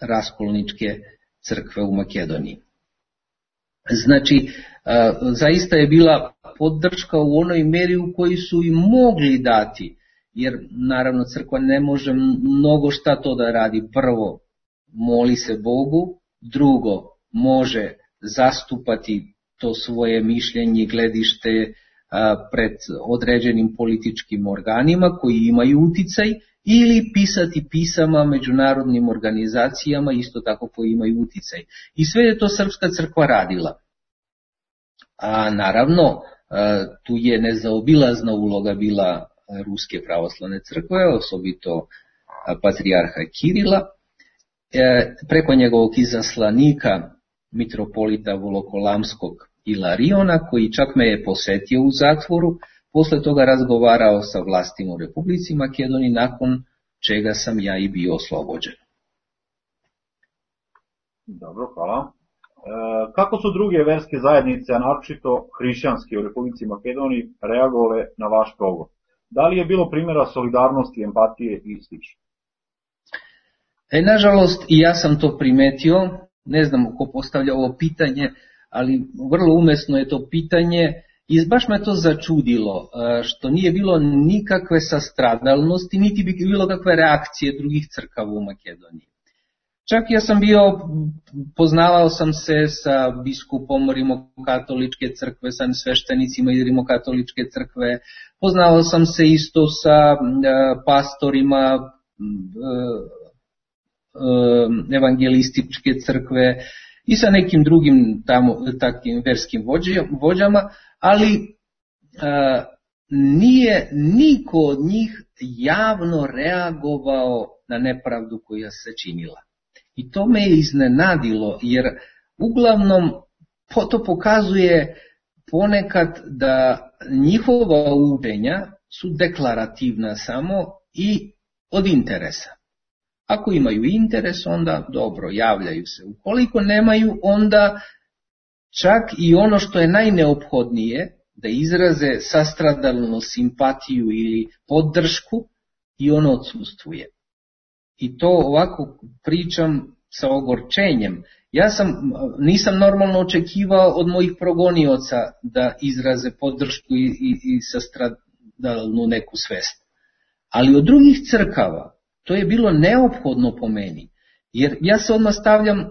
raskolničke crkve u Makedoniji. Znači, zaista je bila podrška u onoj meri u kojoj su i mogli dati, jer naravno crkva ne može mnogo šta to da radi. Prvo, moli se Bogu, drugo, može zastupati to svoje mišljenje i gledište pred određenim političkim organima koji imaju uticaj, ili pisati pisama međunarodnim organizacijama isto tako koji imaju uticaj. I sve je to Srpska crkva radila. A naravno, tu je nezaobilazna uloga bila Ruske pravoslavne crkve, osobito patrijarha Kirila, preko njegovog izaslanika mitropolita Volokolamskog Ilariona, koji čak me je posetio u zatvoru, posle toga razgovarao sa vlastima u Republici Makedoniji, nakon čega sam ja i bio oslobođen. Dobro, hvala. E, kako su druge verske zajednice, a naročito hrišćanske u Republici Makedoniji, reagovale na vaš progon? Da li je bilo primjera solidarnosti, empatije i slično? E, nažalost, i ja sam to primetio, ne znam ko postavlja ovo pitanje, ali vrlo umesno je to pitanje. I baš me to začudilo, što nije bilo nikakve sastradalnosti, niti bi bilo kakve reakcije drugih crkava u Makedoniji. Čak ja sam bio, poznavao sam se sa biskupom Rimokatoličke crkve, sa sveštenicima iz Rimokatoličke crkve, poznavao sam se isto sa pastorima evangelističke crkve i sa nekim drugim tamo, takim verskim vođama, ali a, nije niko od njih javno reagovao na nepravdu koja se činila. I to me je iznenadilo, jer uglavnom to pokazuje ponekad da njihova učenja su deklarativna samo i od interesa. Ako imaju interes, onda dobro, javljaju se. Ukoliko nemaju, onda čak i ono što je najneophodnije, da izraze sastradalnu simpatiju ili podršku, i ono odsustvuje. I to ovako pričam sa ogorčenjem. Ja sam, nisam normalno očekivao od mojih progonioca da izraze podršku i, i, i sastradalnu neku svest. Ali od drugih crkava to je bilo neophodno po meni. Jer ja se odmah stavljam uh,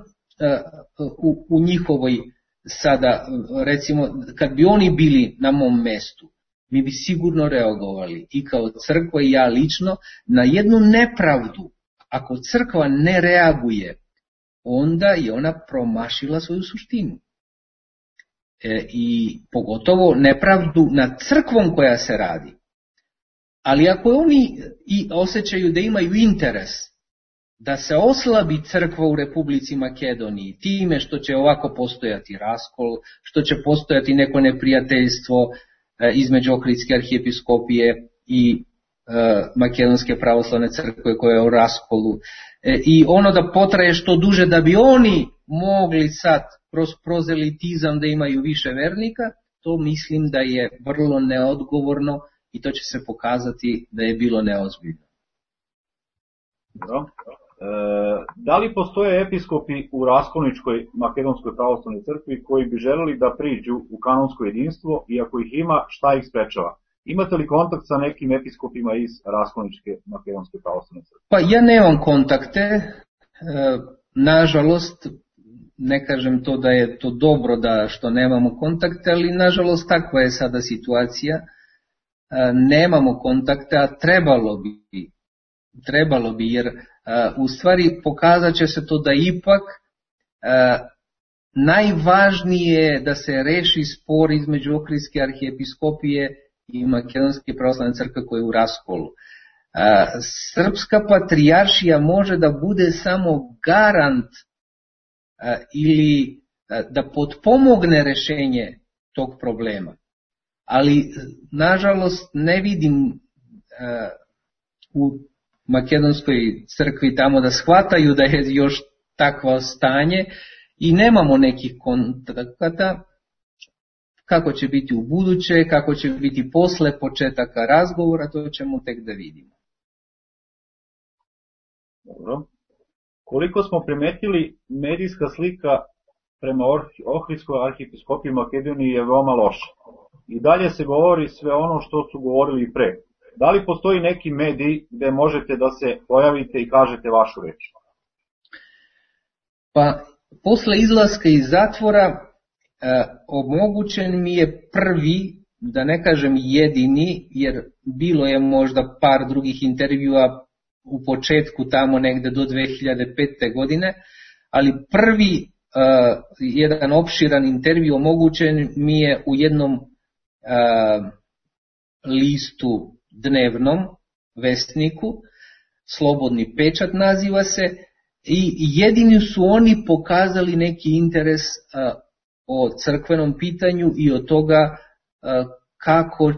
u, u njihovoj sada, recimo, kad bi oni bili na mom mestu, mi bi sigurno reagovali i kao crkva i ja lično na jednu nepravdu. Ako crkva ne reaguje, onda je ona promašila svoju suštinu. E, I pogotovo nepravdu nad crkvom koja se radi. Ali ako oni i osjećaju da imaju interes da se oslabi crkva u Republici Makedoniji time što će ovako postojati raskol, što će postojati neko neprijateljstvo, između Ohridske arhijepiskopije i Makedonske pravoslavne crkve koja je u raskolu. I ono da potraje što duže da bi oni mogli sad kroz prozelitizam da imaju više vernika, to mislim da je vrlo neodgovorno i to će se pokazati da je bilo neozbiljno. Dobro. E, da li postoje episkopi u Raskolničkoj Makedonskoj pravoslavnoj crkvi koji bi želeli da priđu u kanonsko jedinstvo i ako ih ima, šta ih sprečava? Imate li kontakt sa nekim episkopima iz Raskolničke Makedonske pravoslavne crkve? Pa ja nemam kontakte, e, nažalost, ne kažem to da je to dobro da što nemamo kontakte, ali nažalost takva je sada situacija. E, nemamo kontakte, a trebalo bi, trebalo bi jer e, u stvari pokazat će se to da ipak e, najvažnije je da se reši spor između Ohridske arhijepiskopije i Makedonske pravoslavne crkve koja je u raskolu. A, srpska patrijaršija može da bude samo garant a, ili a, da potpomogne rešenje tog problema. Ali, nažalost, ne vidim a, u Makedonskoj crkvi tamo da shvataju da je još takvo stanje i nemamo nekih kontakata. Kako će biti u buduće, kako će biti posle početaka razgovora, to ćemo tek da vidimo. Dobro. Koliko smo primetili, medijska slika prema Ohridskoj arhijepiskopiji Makedoniji je veoma loša. I dalje se govori sve ono što su govorili i pre. Da li postoji neki medij gde možete da se pojavite i kažete vašu reč? Pa, posle izlaska iz zatvora, E, omogućen mi je prvi, da ne kažem jedini, jer bilo je možda par drugih intervjua u početku tamo negde do dve hiljade pete. godine, ali prvi e, jedan opširan intervju omogućen mi je u jednom e, listu dnevnom, Vestniku, Slobodni pečat naziva se, i jedini su oni pokazali neki interes e, o crkvenom pitanju i o toga kako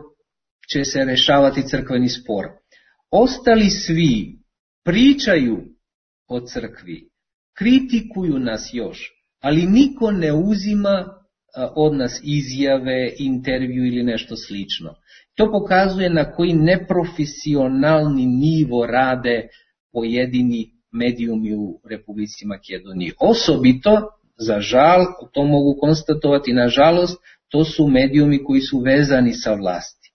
će se rešavati crkveni spor. Ostali svi pričaju o crkvi, kritikuju nas još, ali niko ne uzima od nas izjave, intervju ili nešto slično. To pokazuje na koji neprofesionalni nivo rade pojedini medijumi u Republici Makedoniji. Osobito, za žal, to mogu konstatovati, nažalost, to su medijumi koji su vezani sa vlasti.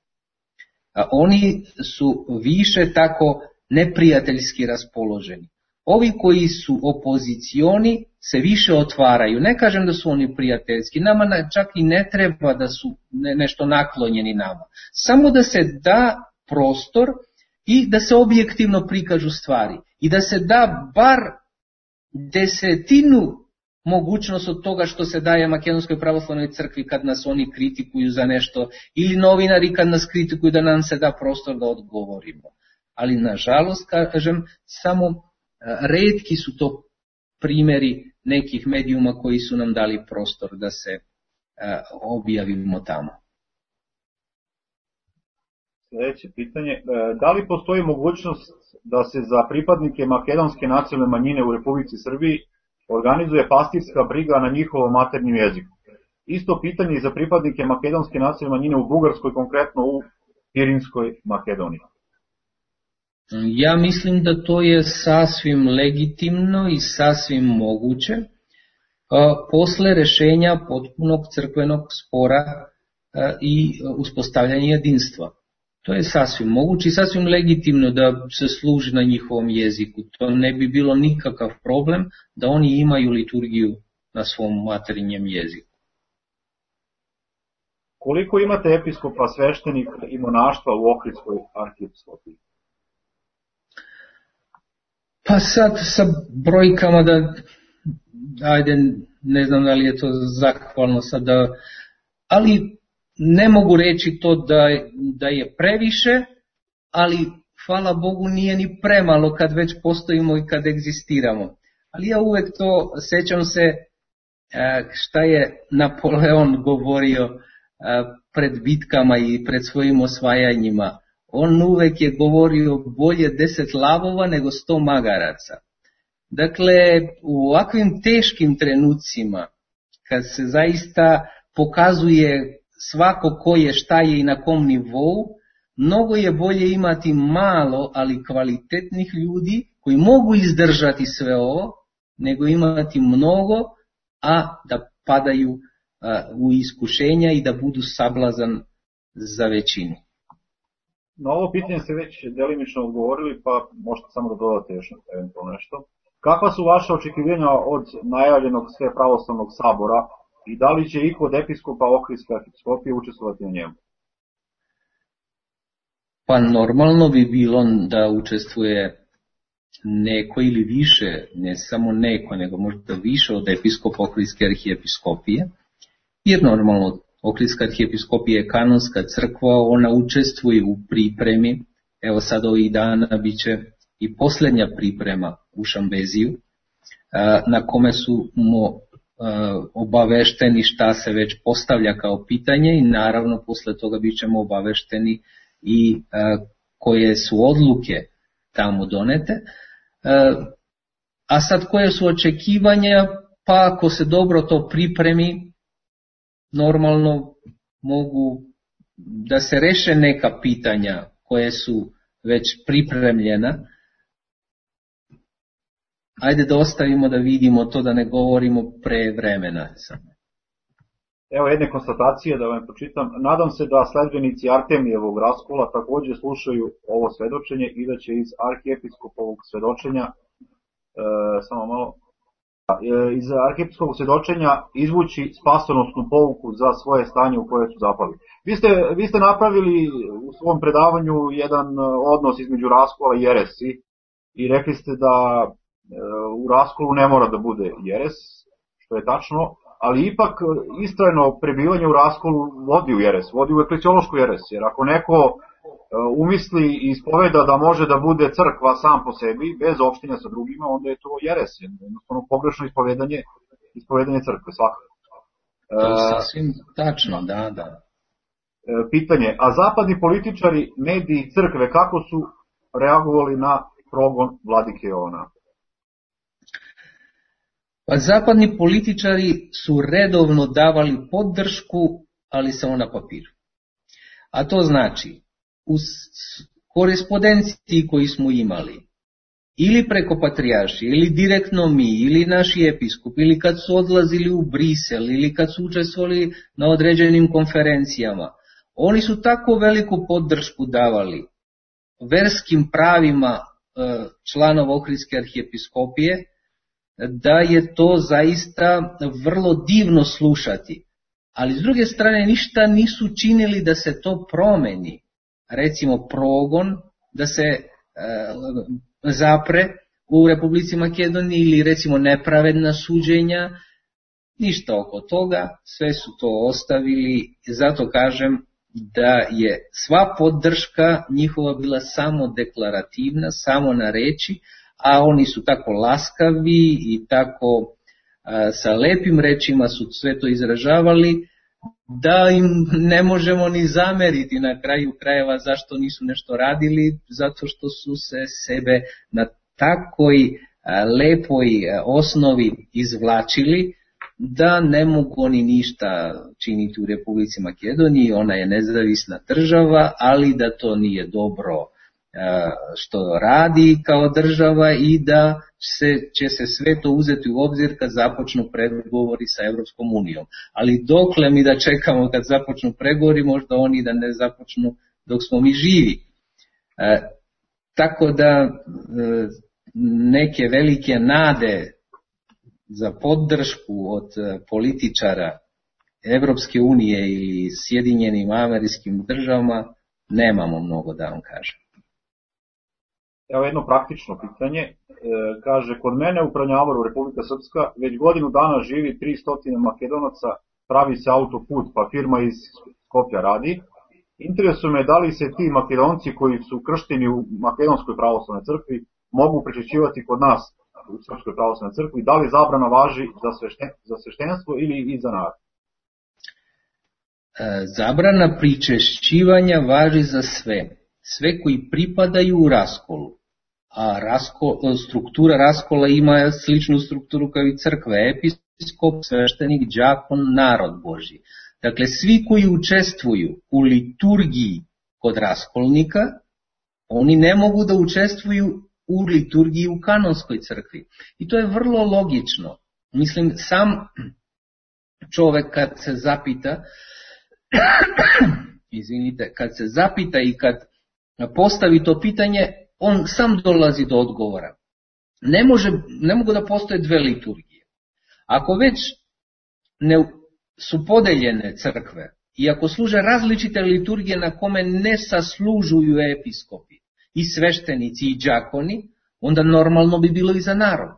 A oni su više tako neprijateljski raspoloženi. Ovi koji su opozicioni se više otvaraju. Ne kažem da su oni prijateljski, nama čak i ne treba da su nešto naklonjeni nama. Samo da se da prostor i da se objektivno prikažu stvari. I da se da bar desetinu mogućnost od toga što se daje Makedonskoj pravoslavnoj crkvi kad nas oni kritikuju za nešto, ili novinari kad nas kritikuju da nam se da prostor da odgovorimo. Ali nažalost, kažem, samo retki su to primjeri nekih medijuma koji su nam dali prostor da se objavimo tamo. Sljedeće pitanje, da li postoji mogućnost da se za pripadnike makedonske nacionalne manjine u Republici Srbiji organizuje pastirska briga na njihovom maternjem jeziku? Isto pitanje i za pripadnike makedonske nacionalne manjine u Bugarskoj, konkretno u Pirinskoj Makedoniji. Ja mislim da to je sasvim legitimno i sasvim moguće posle rešenja potpunog crkvenog spora i uspostavljanja jedinstva. To je sasvim moguće i sasvim legitimno da se služi na njihovom jeziku. To ne bi bilo nikakav problem da oni imaju liturgiju na svom materinjem jeziku. Koliko imate episkopa, sveštenika i monaštva u Ohridskoj arhijepiskopiji? Pa sad sa brojkama da, ajde, ne znam da li je to zahvalno sada, ali ne mogu reći to da, da je previše, ali hvala Bogu nije ni premalo kad već postojimo i kad egzistiramo. Ali ja uvek to, sećam se šta je Napoleon govorio pred bitkama i pred svojim osvajanjima. On uvek je govorio bolje deset lavova nego sto magaraca. Dakle, u ovakvim teškim trenucima, kad se zaista pokazuje svako ko je, šta je i na kom nivou, mnogo je bolje imati malo, ali kvalitetnih ljudi koji mogu izdržati sve ovo, nego imati mnogo, a da padaju a, u iskušenja i da budu sablazan za većinu. Na ovo pitanje ste već delimično odgovorili, pa možete samo da dodate još eventualno nešto. Kakva su vaše očekivanja od najavljenog Svepravoslavnog sabora i da li će iko od episkopa Ohridske arhiepiskopije učestvovati na njemu? Pa normalno bi bilo da učestvuje neko ili više, ne samo neko, nego možda više od episkopa Ohridske arhiepiskopije, jer normalno Ohridska arhiepiskopija je kanonska crkva, ona učestvuje u pripremi, evo sad ovih dana bit će i posljednja priprema u Šambeziju, na kome su mo obavešteni šta se već postavlja kao pitanje i naravno posle toga bit ćemo obavešteni i koje su odluke tamo donete. A sad koje su očekivanja, pa ako se dobro to pripremi, normalno mogu da se reše neka pitanja koje su već pripremljena. Ajde da ostavimo da vidimo to, da ne govorimo pre vremena. Evo jedne konstatacije da vam pročitam. Nadam se da sledbenici Artemijevog raskola također slušaju ovo svedočenje i da će iz arhiepiskopovog svedočenja e, samo malo e, iz arhiepiskopovog svedočenja izvući spasonosnu pouku za svoje stanje u koje su zapali. Vi ste, vi ste napravili u svom predavanju jedan odnos između raskola i jeresi i rekli ste da u raskolu ne mora da bude jeres, što je tačno, ali ipak istrajno prebivanje u raskolu vodi u jeres, vodi u eklesiološku jeres, jer ako neko umisli i ispoveda da može da bude crkva sam po sebi, bez opštenja sa drugima, onda je to jeres, jednostavno pogrešno ispovedanje, ispovedanje crkve, svakako. To je sasvim tačno, da, da. Pitanje, a zapadni političari, mediji i crkve, kako su reagovali na progon vladike Jovana? Pa zapadni političari su redovno davali podršku, ali samo na papiru. A to znači, u korespondenciji koju smo imali, ili preko patrijarši, ili direktno mi, ili naši episkop, ili kad su odlazili u Brisel, ili kad su učestvovali na određenim konferencijama, oni su tako veliku podršku davali verskim pravima članova Ohridske arhiepiskopije, da je to zaista vrlo divno slušati. Ali s druge strane ništa nisu činili da se to promeni. Recimo progon, da se e, zapre u Republici Makedoniji ili recimo nepravedna suđenja, ništa oko toga, sve su to ostavili. Zato kažem da je sva podrška njihova bila samo deklarativna, samo na reči, a oni su tako laskavi i tako a, sa lepim rečima su sve to izražavali, da im ne možemo ni zameriti na kraju krajeva zašto nisu nešto radili, zato što su se sebe na takoj a, lepoj a, osnovi izvlačili, da ne mogu oni ništa činiti u Republici Makedoniji, ona je nezavisna država, ali da to nije dobro što radi kao država i da se, će se sve to uzeti u obzir kad započnu pregovori sa Evropskom unijom. Ali dokle mi da čekamo kad započnu pregovori, možda oni da ne započnu dok smo mi živi. E, tako da e, neke velike nade za podršku od političara Evropske unije ili Sjedinjenim Američkim državama nemamo mnogo, da vam kažem. Evo jedno praktično pitanje. E, kaže, kod mene u Pranjavaru, Republika Srpska, već godinu dana živi tristo Makedonaca, pravi se autoput, pa firma iz Skopja radi. Interesuje me da li se ti Makedonci koji su kršteni u Makedonskoj pravoslavnoj crkvi mogu prečećivati kod nas u Srpskoj pravoslavnoj crkvi, da li zabrana važi za, svešten, za sveštenstvo ili i za narod? zabrana pričešćivanja važi za sve, sve koji pripadaju u raskolu, a raskol, struktura raskola ima sličnu strukturu kao i crkve, episkop, sveštenik, đakon, narod Božji. Dakle, svi koji učestvuju u liturgiji kod raskolnika, oni ne mogu da učestvuju u liturgiji u kanonskoj crkvi. I to je vrlo logično. Mislim, sam čovek kad se zapita, izvinite, kad se zapita i kad postavi to pitanje, on sam dolazi do odgovora. Ne, može, ne mogu da postoje dve liturgije. Ako već ne su podeljene crkve i ako služe različite liturgije na kome ne saslužuju episkopi i sveštenici i đakoni, onda normalno bi bilo i za narod.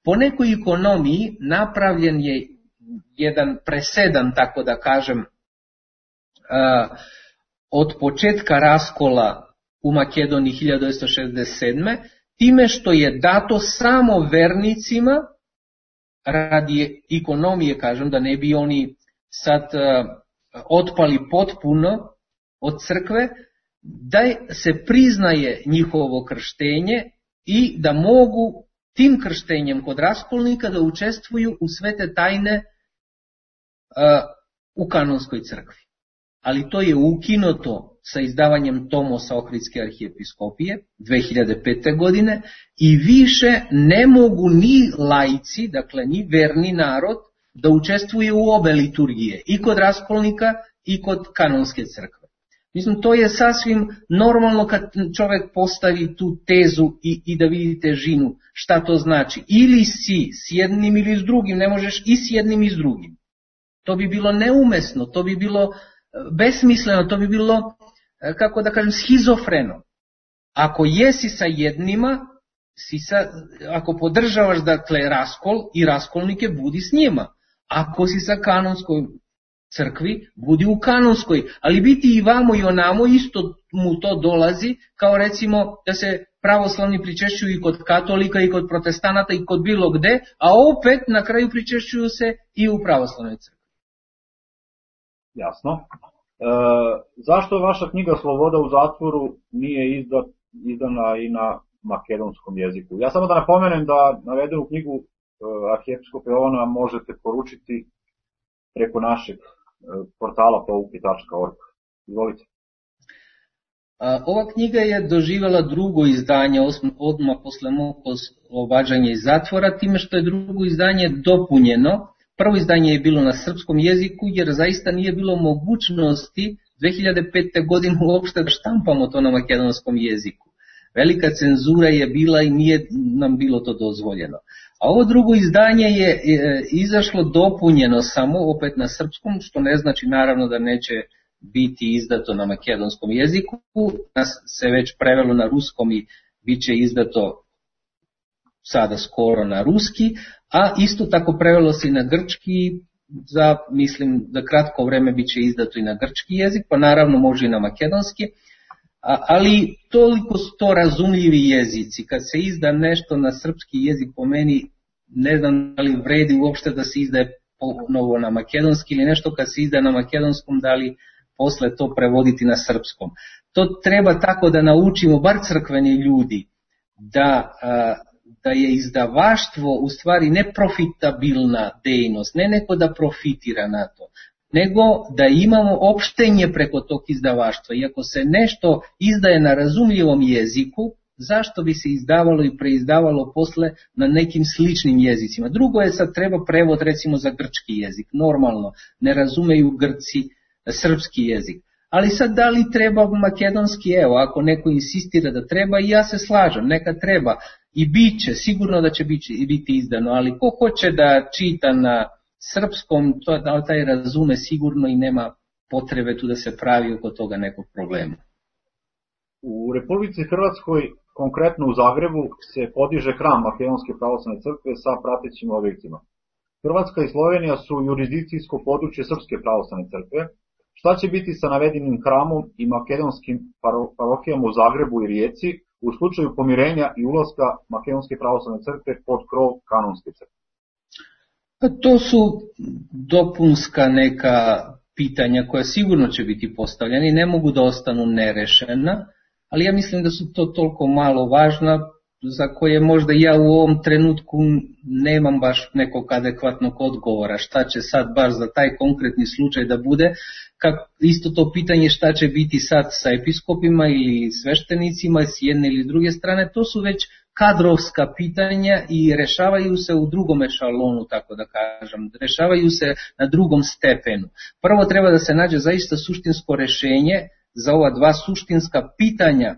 Po nekoj ekonomiji napravljen je jedan presedan, tako da kažem, od početka raskola u Makedoniji hiljadu devetsto šezdeset sedme time što je dato samo vernicima radi ekonomije, kažem, da ne bi oni sad otpali potpuno od crkve, da se priznaje njihovo krštenje i da mogu tim krštenjem kod raskolnika da učestvuju u svete tajne u kanonskoj crkvi. Ali to je ukinuto sa izdavanjem Tomosa Ohridske arhijepiskopije dve hiljade pete. godine i više ne mogu ni laici, dakle ni verni narod, da učestvuje u obe liturgije, i kod raskolnika i kod kanonske crkve. Mislim, to je sasvim normalno kad čovjek postavi tu tezu i, i da vidi težinu, šta to znači. Ili si s jednim ili s drugim, ne možeš i s jednim i s drugim. To bi bilo neumesno, to bi bilo besmisleno, to bi bilo, kako da kažem, schizofreno. Ako jesi sa jednima, si sa, ako podržavaš dakle raskol i raskolnike, budi s njima. Ako si sa kanonskoj crkvi, budi u kanonskoj, ali biti i vamo i onamo isto mu to dolazi, kao recimo da se pravoslavni pričešćuju i kod katolika i kod protestanata i kod bilo gde, a opet na kraju pričešćuju se i u pravoslavnoj crkvi. Jasno. E, zašto vaša knjiga Sloboda u zatvoru nije izda, izdana i na makedonskom jeziku? Ja samo da napomenem da navedenu knjigu e, arhijepiskopa Jovana možete poručiti preko našeg e, portala pouki tačka org. Izvolite. Ova knjiga je doživjela drugo izdanje odmah posle mog oslobađanja iz zatvora, time što je drugo izdanje dopunjeno. Prvo izdanje je bilo na srpskom jeziku, jer zaista nije bilo mogućnosti dve hiljade pete. godine uopšte da štampamo to na makedonskom jeziku. Velika cenzura je bila i nije nam bilo to dozvoljeno. A ovo drugo izdanje je izašlo dopunjeno samo opet na srpskom, što ne znači naravno da neće biti izdato na makedonskom jeziku. Nas se već prevelo na ruskom i bit će izdato sada skoro na ruski, a isto tako prevelo se i na grčki, za, mislim, za kratko vreme bit će izdato i na grčki jezik, pa naravno može i na makedonski, a, ali toliko su to razumljivi jezici. Kad se izda nešto na srpski jezik, po meni ne znam da li vredi uopšte da se izdaje ponovo na makedonski ili nešto kad se izda na makedonskom, da li posle to prevoditi na srpskom. To treba tako da naučimo, bar crkveni ljudi, da... A, da je izdavaštvo u stvari neprofitabilna dejnost, ne neko da profitira na to, nego da imamo opštenje preko tog izdavaštva. I ako se nešto izdaje na razumljivom jeziku, zašto bi se izdavalo i preizdavalo posle na nekim sličnim jezicima? Drugo je sad treba prevod recimo za grčki jezik, normalno, ne razumeju Grci srpski jezik. Ali sad da li treba makedonski, evo, ako neko insistira da treba, i ja se slažem, neka treba. I bit će, sigurno da će biti izdano, ali ko hoće da čita na srpskom, to, taj razume sigurno i nema potrebe tu da se pravi oko toga nekog problema. U Republici Hrvatskoj, konkretno u Zagrebu, se podiže hram Makedonske pravoslavne crkve sa pratećim objektima. Hrvatska i Slovenija su jurisdikcijsko područje Srpske pravoslavne crkve. Šta će biti sa navedenim hramom i makedonskim parohijama u Zagrebu i Rijeci u slučaju pomirenja i ulaska Makedonske pravoslavne crkve pod krov kanonske crkve? To su dopunska neka pitanja koja sigurno će biti postavljena i ne mogu da ostanu nerešena, ali ja mislim da su to toliko malo važna za koje možda ja u ovom trenutku nemam baš nekog adekvatnog odgovora. Šta će sad baš za taj konkretni slučaj da bude, kako isto to pitanje šta će biti sad sa episkopima ili sveštenicima s jedne ili druge strane, to su već kadrovska pitanja i rešavaju se u drugom ešalonu, tako da kažem, rešavaju se na drugom stepenu. Prvo treba da se nađe zaista suštinsko rešenje za ova dva suštinska pitanja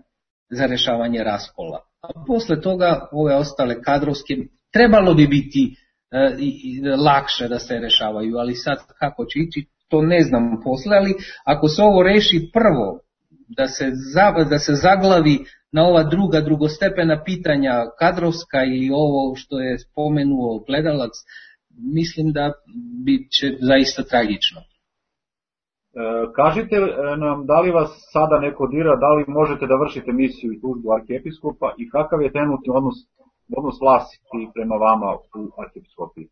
za rešavanje raskola. A posle toga ove ostale kadrovske trebalo bi biti e, lakše da se rešavaju, ali sad kako će ići, to ne znam posle, ali ako se ovo reši prvo, da se, za, da se zaglavi na ova druga drugostepena pitanja, kadrovska ili ovo što je spomenuo gledalac, mislim da bit će zaista tragično. E, kažite nam, da li vas sada neko dira, da li možete da vršite misiju i službu arhijepiskopa i kakav je trenutni odnos, odnos vlasti prema vama u arhijepiskopiji?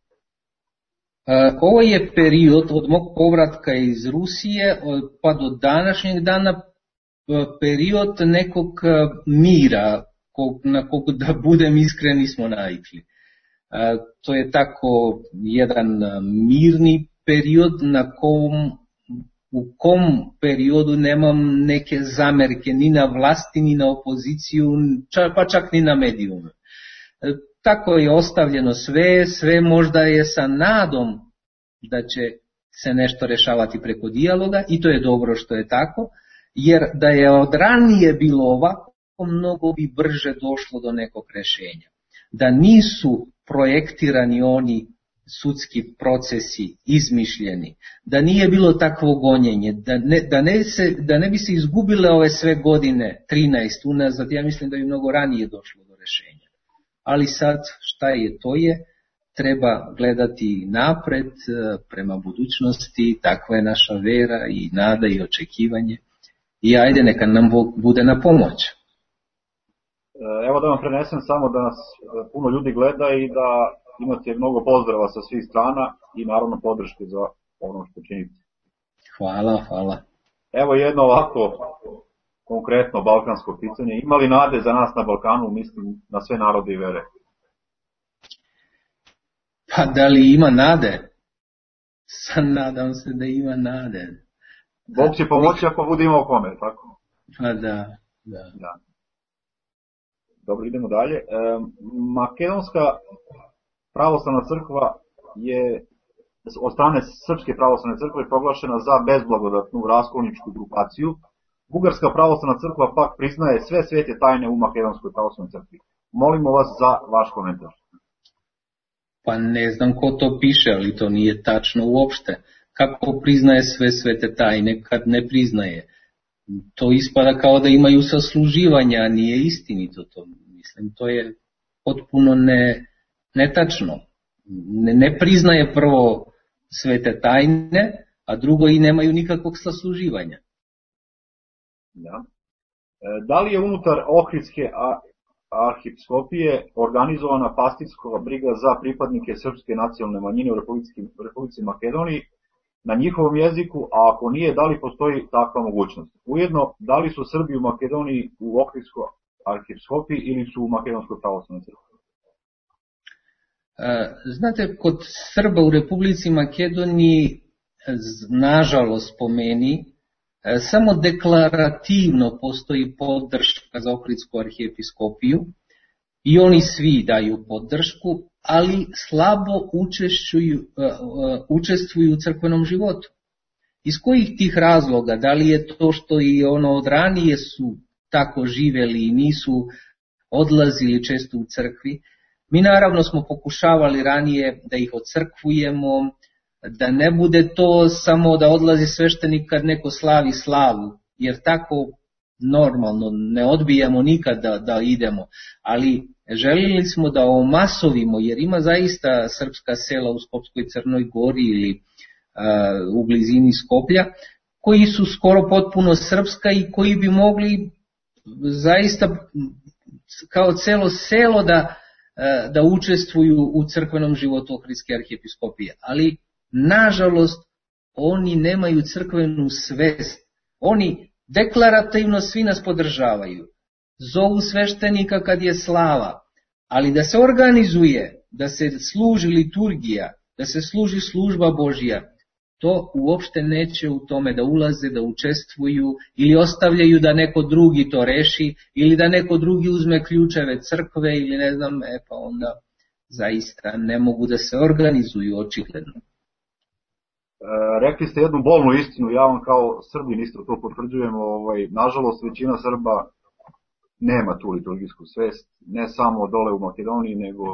E, ovo je period od mog povratka iz Rusije pa do današnjeg dana period nekog mira, kog, na kog, da budem iskren, nismo navikli. E, to je tako jedan mirni period na kom u kom periodu nemam neke zamerke ni na vlasti, ni na opoziciju, pa čak ni na medijume. Tako je ostavljeno sve, sve možda je sa nadom da će se nešto rešavati preko dijaloga i to je dobro što je tako, jer da je od ranije bilo ovako, mnogo bi brže došlo do nekog rešenja. Da nisu projektirani oni sudski procesi izmišljeni, da nije bilo takvo gonjenje, da ne, da, ne se, da ne bi se izgubile ove sve godine, trinaest unazad, ja mislim da bi mnogo ranije došlo do rešenja. Ali sad šta je to je, treba gledati napred, prema budućnosti, takva je naša vera i nada i očekivanje i ajde neka nam Bog bude na pomoć. Evo da vam prenesem samo da nas puno ljudi gleda i da imate mnogo pozdrava sa svih strana i naravno podrške za ono što činite. Hvala, hvala. Evo jedno ovako konkretno balkansko pitanje. Ima li nade za nas na Balkanu, mislim na sve narode i vere? Pa da li ima nade? Sam nadam se da ima nade. Bog će pomoći ako bude imao kome, tako? Pa da, da. da. Dobro, idemo dalje. E, Makedonska pravoslavna crkva je od strane Srpske pravoslavne crkve proglašena za bezblagodatnu raskolničku grupaciju. Bugarska pravoslavna crkva pak priznaje sve svete tajne u Makedonskoj pravoslavnoj crkvi. Molimo vas za vaš komentar. Pa ne znam ko to piše, ali to nije tačno uopšte. Kako priznaje sve svete tajne kad ne priznaje? To ispada kao da imaju sasluživanja, a nije istinito to. Mislim, to je potpuno ne... netačno. Ne, ne priznaje prvo svete tajne, a drugo i nemaju nikakvog sasluživanja. Da. E, da li je unutar Ohridske arhijepiskopije organizovana pastirska briga za pripadnike srpske nacionalne manjine u Republici, Republici Makedoniji na njihovom jeziku, a ako nije, da li postoji takva mogućnost? Ujedno, da li su Srbi u Makedoniji u Ohridskoj arhijepiskopiji ili su u Makedonskoj pravoslavnoj crkvi? Znate, kod Srba u Republici Makedoniji, nažalost po meni, samo deklarativno postoji podrška za Ohridsku arhijepiskopiju i oni svi daju podršku, ali slabo učestvuju, učestvuju u crkvenom životu. Iz kojih tih razloga? Da li je to što i ono od ranije su tako živeli i nisu odlazili često u crkvi? Mi naravno smo pokušavali ranije da ih ocrkvujemo, da ne bude to samo da odlazi sveštenik kad neko slavi slavu, jer tako normalno ne odbijamo nikad da, da idemo, ali želili smo da omasovimo, jer ima zaista srpska sela u Skopskoj Crnoj Gori ili a, u blizini Skoplja, koji su skoro potpuno srpska i koji bi mogli zaista kao celo selo da da učestvuju u crkvenom životu Ohridske arhijepiskopije. Ali, nažalost, oni nemaju crkvenu svest. Oni deklarativno svi nas podržavaju. Zovu sveštenika kad je slava, ali da se organizuje, da se služi liturgija, da se služi služba Božja, to uopšte neće u tome da ulaze, da učestvuju ili ostavljaju da neko drugi to reši ili da neko drugi uzme ključeve crkve ili ne znam, e pa onda zaista ne mogu da se organizuju očigledno. E, rekli ste jednu bolnu istinu, ja vam kao Srbin isto to potvrđujem, ovaj, nažalost većina Srba nema tu liturgijsku svest, ne samo dole u Makedoniji, nego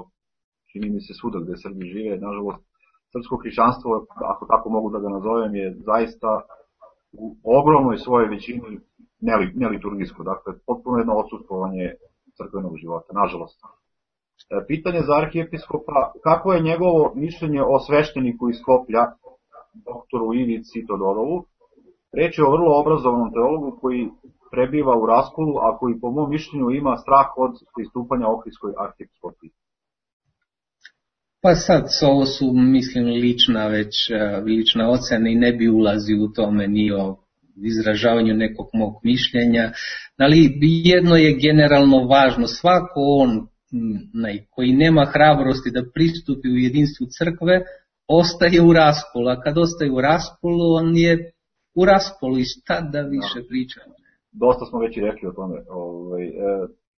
čini mi se svuda gde Srbi žive, nažalost. Srpsko hrišćanstvo, ako tako mogu da ga nazovem, je zaista u ogromnoj svojoj većini neliturgijsko, dakle potpuno jedno odsustvovanje crkvenog života, nažalost. Pitanje za arhijepiskopa, kako je njegovo mišljenje o svešteniku iz Skoplja, doktoru Ivici Todorovu? Reč je o vrlo obrazovanom teologu koji prebiva u Raskolu, a koji po mom mišljenju ima strah od pristupanja Ohridskoj arhijepiskopiji. Pa sad, ovo su, mislim, lična već, lična ocena i ne bi ulazio u tome ni o izražavanju nekog mog mišljenja, ali jedno je generalno važno, svako on koji nema hrabrosti da pristupi u jedinstvu crkve, ostaje u raskolu, a kad ostaje u raskolu, on je u raskolu i šta da više pričamo. Dosta smo već i rekli o tome. Ovaj, e,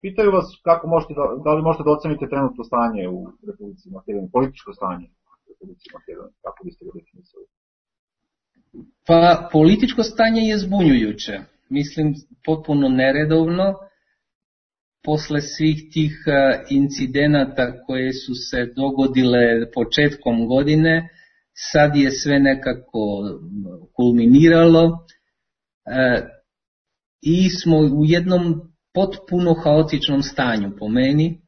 pitaju vas kako možete da, da li možete da ocenite trenutno stanje u Republici Makedoniji, političko stanje u Republici Makedoniji, kako biste ga definisali? Pa političko stanje je zbunjujuće, mislim potpuno neredovno. Posle svih tih incidenata koje su se dogodile početkom godine, sad je sve nekako kulminiralo i smo u jednom potpuno haotičnom stanju po meni.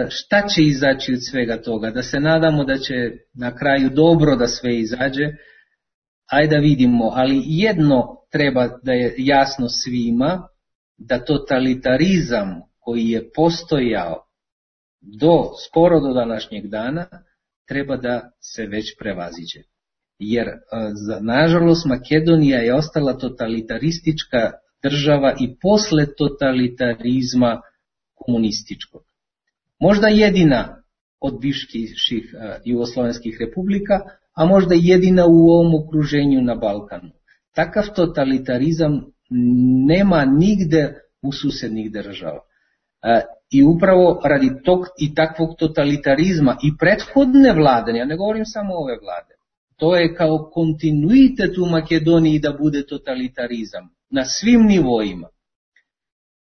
Šta će izaći od svega toga? Da se nadamo da će na kraju dobro da sve izađe, ajde da vidimo, ali jedno treba da je jasno svima, da totalitarizam koji je postojao do, skoro do današnjeg dana, treba da se već prevaziđe. Jer, nažalost, Makedonija je ostala totalitaristička država i posle totalitarizma komunističkog. Možda jedina od bivših jugoslovenskih republika, a možda jedina u ovom okruženju na Balkanu. Takav totalitarizam nema nigde u susednih država. I upravo radi tog i takvog totalitarizma i prethodne vlade, ja ne govorim samo ove vlade, to je kao kontinuitet u Makedoniji da bude totalitarizam na svim nivoima.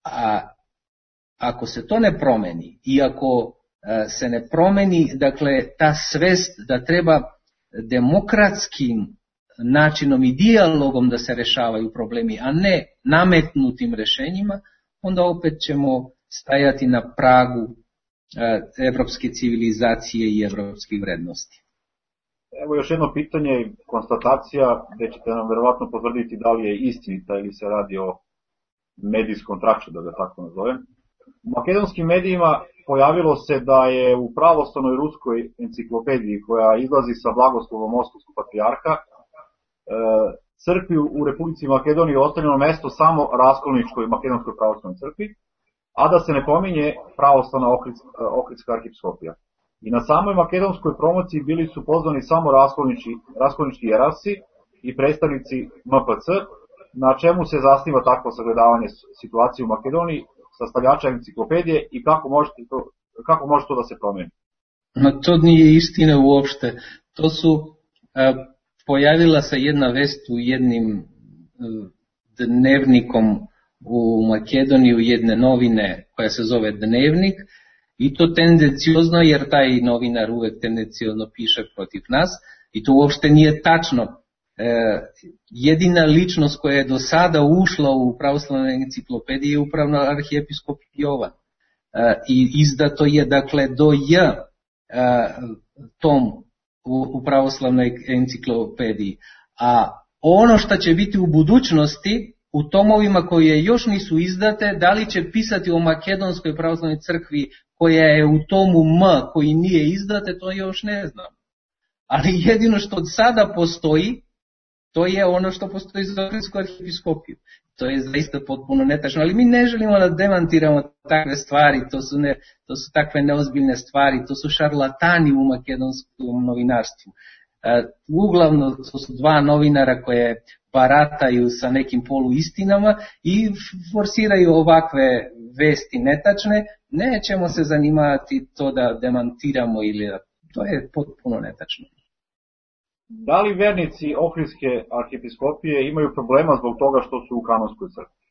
A ako se to ne promeni i ako se ne promeni, dakle, ta svest da treba demokratskim načinom i dijalogom da se rešavaju problemi, a ne nametnutim rešenjima, onda opet ćemo stajati na pragu evropske civilizacije i evropskih vrednosti. Evo još jedno pitanje, konstatacija, gde ćete nam verovatno potvrditi da li je istinita ili se radi o medijskom traču, da ga tako nazovem. U makedonskim medijima pojavilo se da je u pravoslavnoj ruskoj enciklopediji koja izlazi sa blagoslovom Moskovskog patrijarha crkvi u Republici Makedoniji ostavljeno mesto samo Raskolničkoj makedonskoj pravoslavnoj crkvi, a da se ne pominje pravoslavna Ohridska arhijepiskopija. I na samoj makedonskoj promociji bili su pozvani samo raskolnički jerarsi i predstavnici M P C, na čemu se zasniva takvo sagledavanje situacije u Makedoniji, sastavljača enciklopedije i kako može to, kako može to da se promeni? Ma to nije istina uopšte. To su, a, pojavila se jedna vest u jednim a, dnevnikom u Makedoniju, jedne novine koja se zove Dnevnik, i to tendenciozno, jer taj novinar uvek tendenciozno piše protiv nas, i to uopšte nije tačno. E, jedina ličnost koja je do sada ušla u pravoslavnoj enciklopediji je upravo arhijepiskop Jovan. E, I izdato je, dakle, do J e, tom u, u pravoslavnoj enciklopediji. A ono što će biti u budućnosti, u tomovima koje još nisu izdate, da li će pisati o Makedonskoj pravoslavnoj crkvi koja je u tomu M koji nije izdate, to još ne znam. Ali jedino što od sada postoji To je ono što postoji za Ohritsku arhiepiskopiju. To je zaista potpuno netačno, ali mi ne želimo da demantiramo takve stvari, to su, ne, to su takve neozbiljne stvari, to su šarlatani u makedonskom novinarstvu. E, uglavnom to su dva novinara koje barataju sa nekim poluistinama i forsiraju ovakve vesti netačne. Nećemo se zanimati to da demantiramo ili da, to je potpuno netačno. Da li vernici Ohridske arhiepiskopije imaju problema zbog toga što su u kanonskoj crkvi?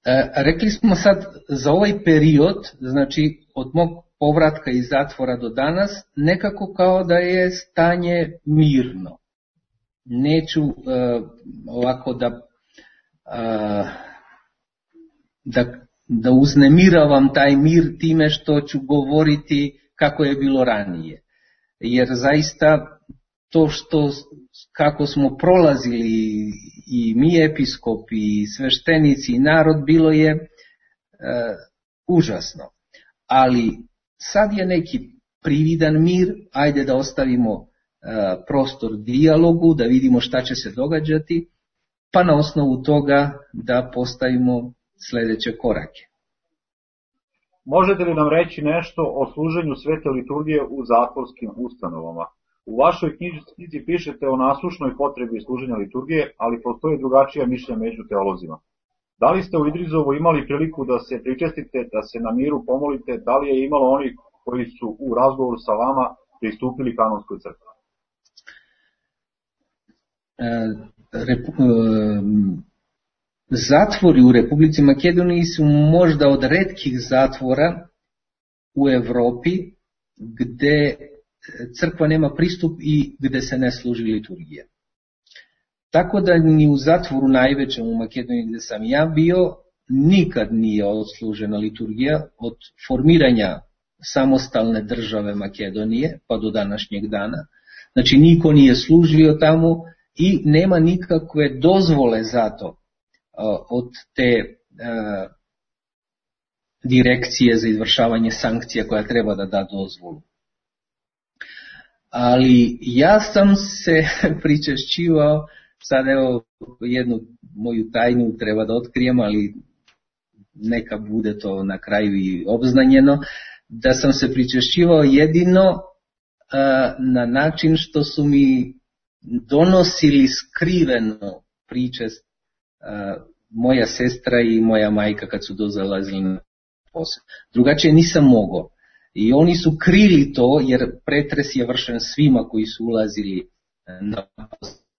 E, rekli smo sad za ovaj period, znači od mog povratka iz zatvora do danas, nekako kao da je stanje mirno. Neću e, ovako da, e, da, da uznemiravam taj mir time što ću govoriti kako je bilo ranije. Jer zaista to što, kako smo prolazili i mi episkopi, i sveštenici i narod, bilo je e, užasno. Ali sad je neki prividan mir, ajde da ostavimo e, prostor dijalogu, da vidimo šta će se događati, pa na osnovu toga da postavimo sljedeće korake. Možete li nam reći nešto o služenju svete liturgije u zatvorskim ustanovama? U vašoj knjizi pišete o nasušnoj potrebi služenja liturgije, ali postoji drugačija mišljenja među teolozima. Da li ste u Idrizovu imali priliku da se pričestite, da se na miru pomolite, da li je imalo oni koji su u razgovoru sa vama pristupili kanonskoj crkvi? E, repu, e, Zatvori u Republici Makedoniji su možda od retkih zatvora u Europi gde crkva nema pristup i gde se ne služi liturgija. Tako da ni u zatvoru najvećem u Makedoniji gde sam ja bio nikad nije odslužena liturgija od formiranja samostalne države Makedonije pa do današnjeg dana. Znači niko nije služio tamo i nema nikakve dozvole za to od te uh, direkcije za izvršavanje sankcija koja treba da da dozvolu. Ali ja sam se pričešćivao, sad evo jednu moju tajnu treba da otkrijem, ali neka bude to na kraju i obznanjeno, da sam se pričešćivao jedino uh, na način što su mi donosili skriveno pričest uh, moja sestra i moja majka kad su dozalazili na posao. Drugačije nisam mogao. I oni su krili to, jer pretres je vršen svima koji su ulazili na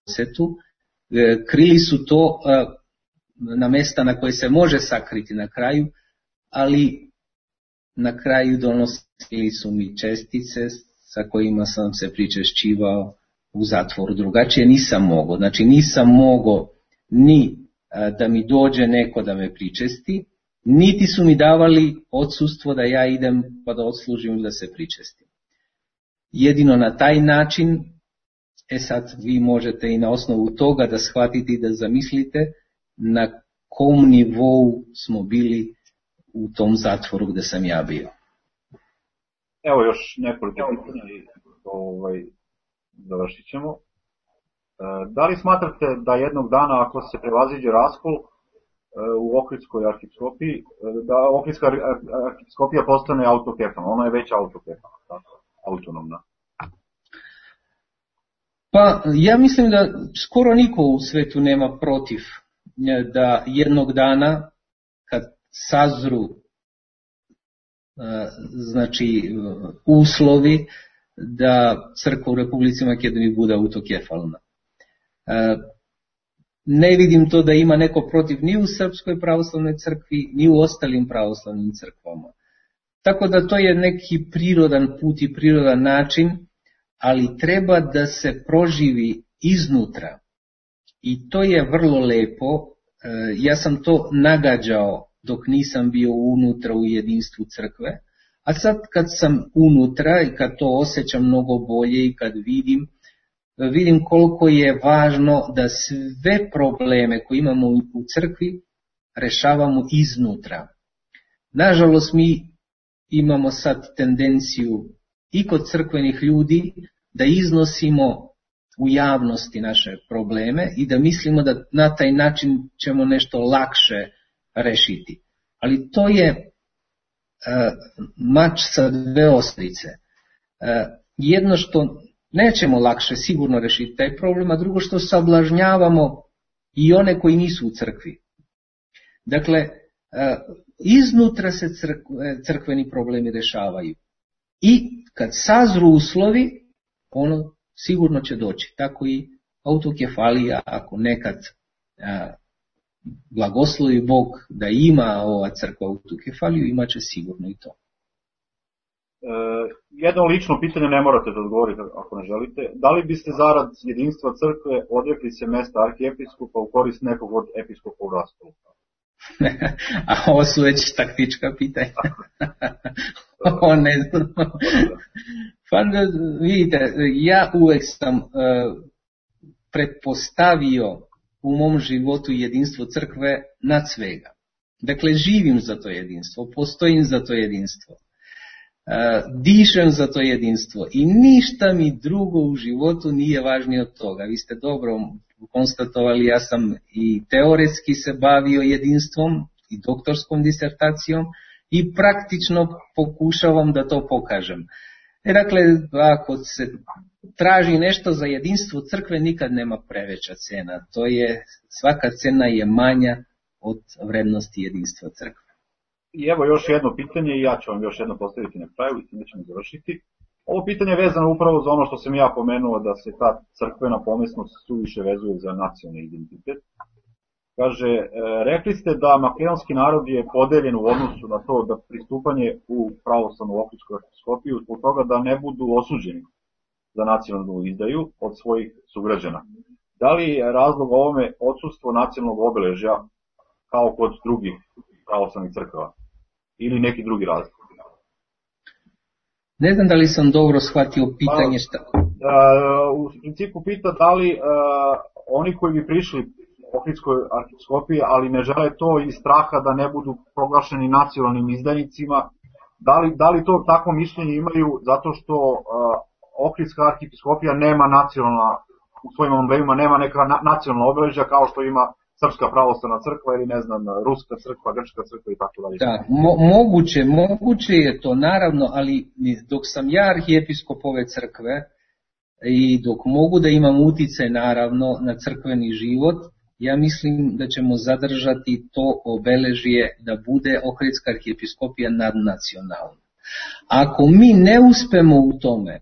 posetu. Krili su to na mesta na koje se može sakriti na kraju, ali na kraju donosili su mi čestice sa kojima sam se pričešćivao u zatvoru. Drugačije nisam mogao. Znači nisam mogao ni da mi dođe neko da me pričesti, niti su mi davali odsustvo da ja idem pa da odslužim ili da se pričestim. Jedino na taj način, e sad vi možete i na osnovu toga da shvatite i da zamislite na kom nivou smo bili u tom zatvoru gde sam ja bio. Evo još nekoliko pitanja i ovaj, završit ćemo. Da li smatrate da jednog dana ako se prevaziđe raskol u Ohridskoj arhiepiskopiji, da Ohridska arhiepiskopija postane autokefalna? Ona je već autokefalna, autonomna. Pa ja mislim da skoro niko u svetu nema protiv da jednog dana kad sazru znači uslovi da crkva u Republici Makedoniji bude autokefalna. Ne vidim to da ima neko protiv ni u Srpskoj pravoslavnoj crkvi, ni u ostalim pravoslavnim crkvama. Tako da to je neki prirodan put i prirodan način, ali treba da se proživi iznutra. I to je vrlo lepo. Ja sam to nagađao dok nisam bio unutra u jedinstvu crkve, a sad kad sam unutra i kad to osjećam mnogo bolje i kad vidim, vidim koliko je važno da sve probleme koje imamo u crkvi rešavamo iznutra. Nažalost, mi imamo sad tendenciju i kod crkvenih ljudi da iznosimo u javnosti naše probleme i da mislimo da na taj način ćemo nešto lakše rešiti. Ali to je uh, mač sa dve ostrice. Uh, jedno što nećemo lakše sigurno rešiti taj problem, a drugo što sablažnjavamo i one koji nisu u crkvi. Dakle, uh, iznutra se crkve, crkveni problemi rešavaju. I kad sazru uslovi, ono sigurno će doći. Tako i autokefalija, ako nekad a, blagoslovi Bog da ima ova crkva autokefaliju, imat će sigurno i to. E, jedno lično pitanje, ne morate da odgovorite ako ne želite. Da li biste zarad jedinstva crkve odrekli se mesta arhijepiskopa u korist nekog od episkopa u raskolu? A ovo su već taktička pitanja. Ovo ne znam. Pa vidite, ja uvek sam uh, pretpostavio u mom životu jedinstvo crkve nad svega. Dakle, živim za to jedinstvo, postojim za to jedinstvo, uh, dišem za to jedinstvo i ništa mi drugo u životu nije važnije od toga. Vi ste dobro konstatovali, ja sam i teoretski se bavio jedinstvom i doktorskom disertacijom i praktično pokušavam da to pokažem. E, dakle, ako se traži nešto za jedinstvo crkve, nikad nema preveća cena. To je, svaka cena je manja od vrednosti jedinstva crkve. I evo još jedno pitanje i ja ću vam još jedno postaviti na kraju i time ćemo završiti. Ovo pitanje je vezano upravo za ono što sam ja pomenuo, da se ta crkvena pomesnost suviše vezuje za nacionalni identitet. Kaže, e, rekli ste da makedonski narod je podeljen u odnosu na to da pristupanje u pravoslavnu ohridsku episkopiju zbog toga da ne budu osuđeni za nacionalnu izdaju od svojih sugrađana. Da li je razlog ovome odsustvo nacionalnog obeležja kao kod drugih pravoslavnih crkava ili neki drugi razlog? Ne znam da li sam dobro shvatio pitanje šta. U principu pita da li uh, oni koji bi prišli ohridskoj arhijepiskopiji, ali ne žele to iz straha da ne budu proglašeni nacionalnim izdajnicima, da li, da li to takvo mišljenje imaju zato što uh, ohridska arhijepiskopija nema nacionalna, u svojim emblemima nema neka na, nacionalna obeležja kao što ima Srpska pravoslavna crkva ili ne znam, Ruska crkva, Grčka crkva i tako dalje. Da, mo- moguće, moguće je to naravno, ali dok sam ja arhijepiskop ove crkve i dok mogu da imam uticaj naravno na crkveni život, ja mislim da ćemo zadržati to obeležje da bude ohridska arhijepiskopija nadnacionalna. Ako mi ne uspemo u tome,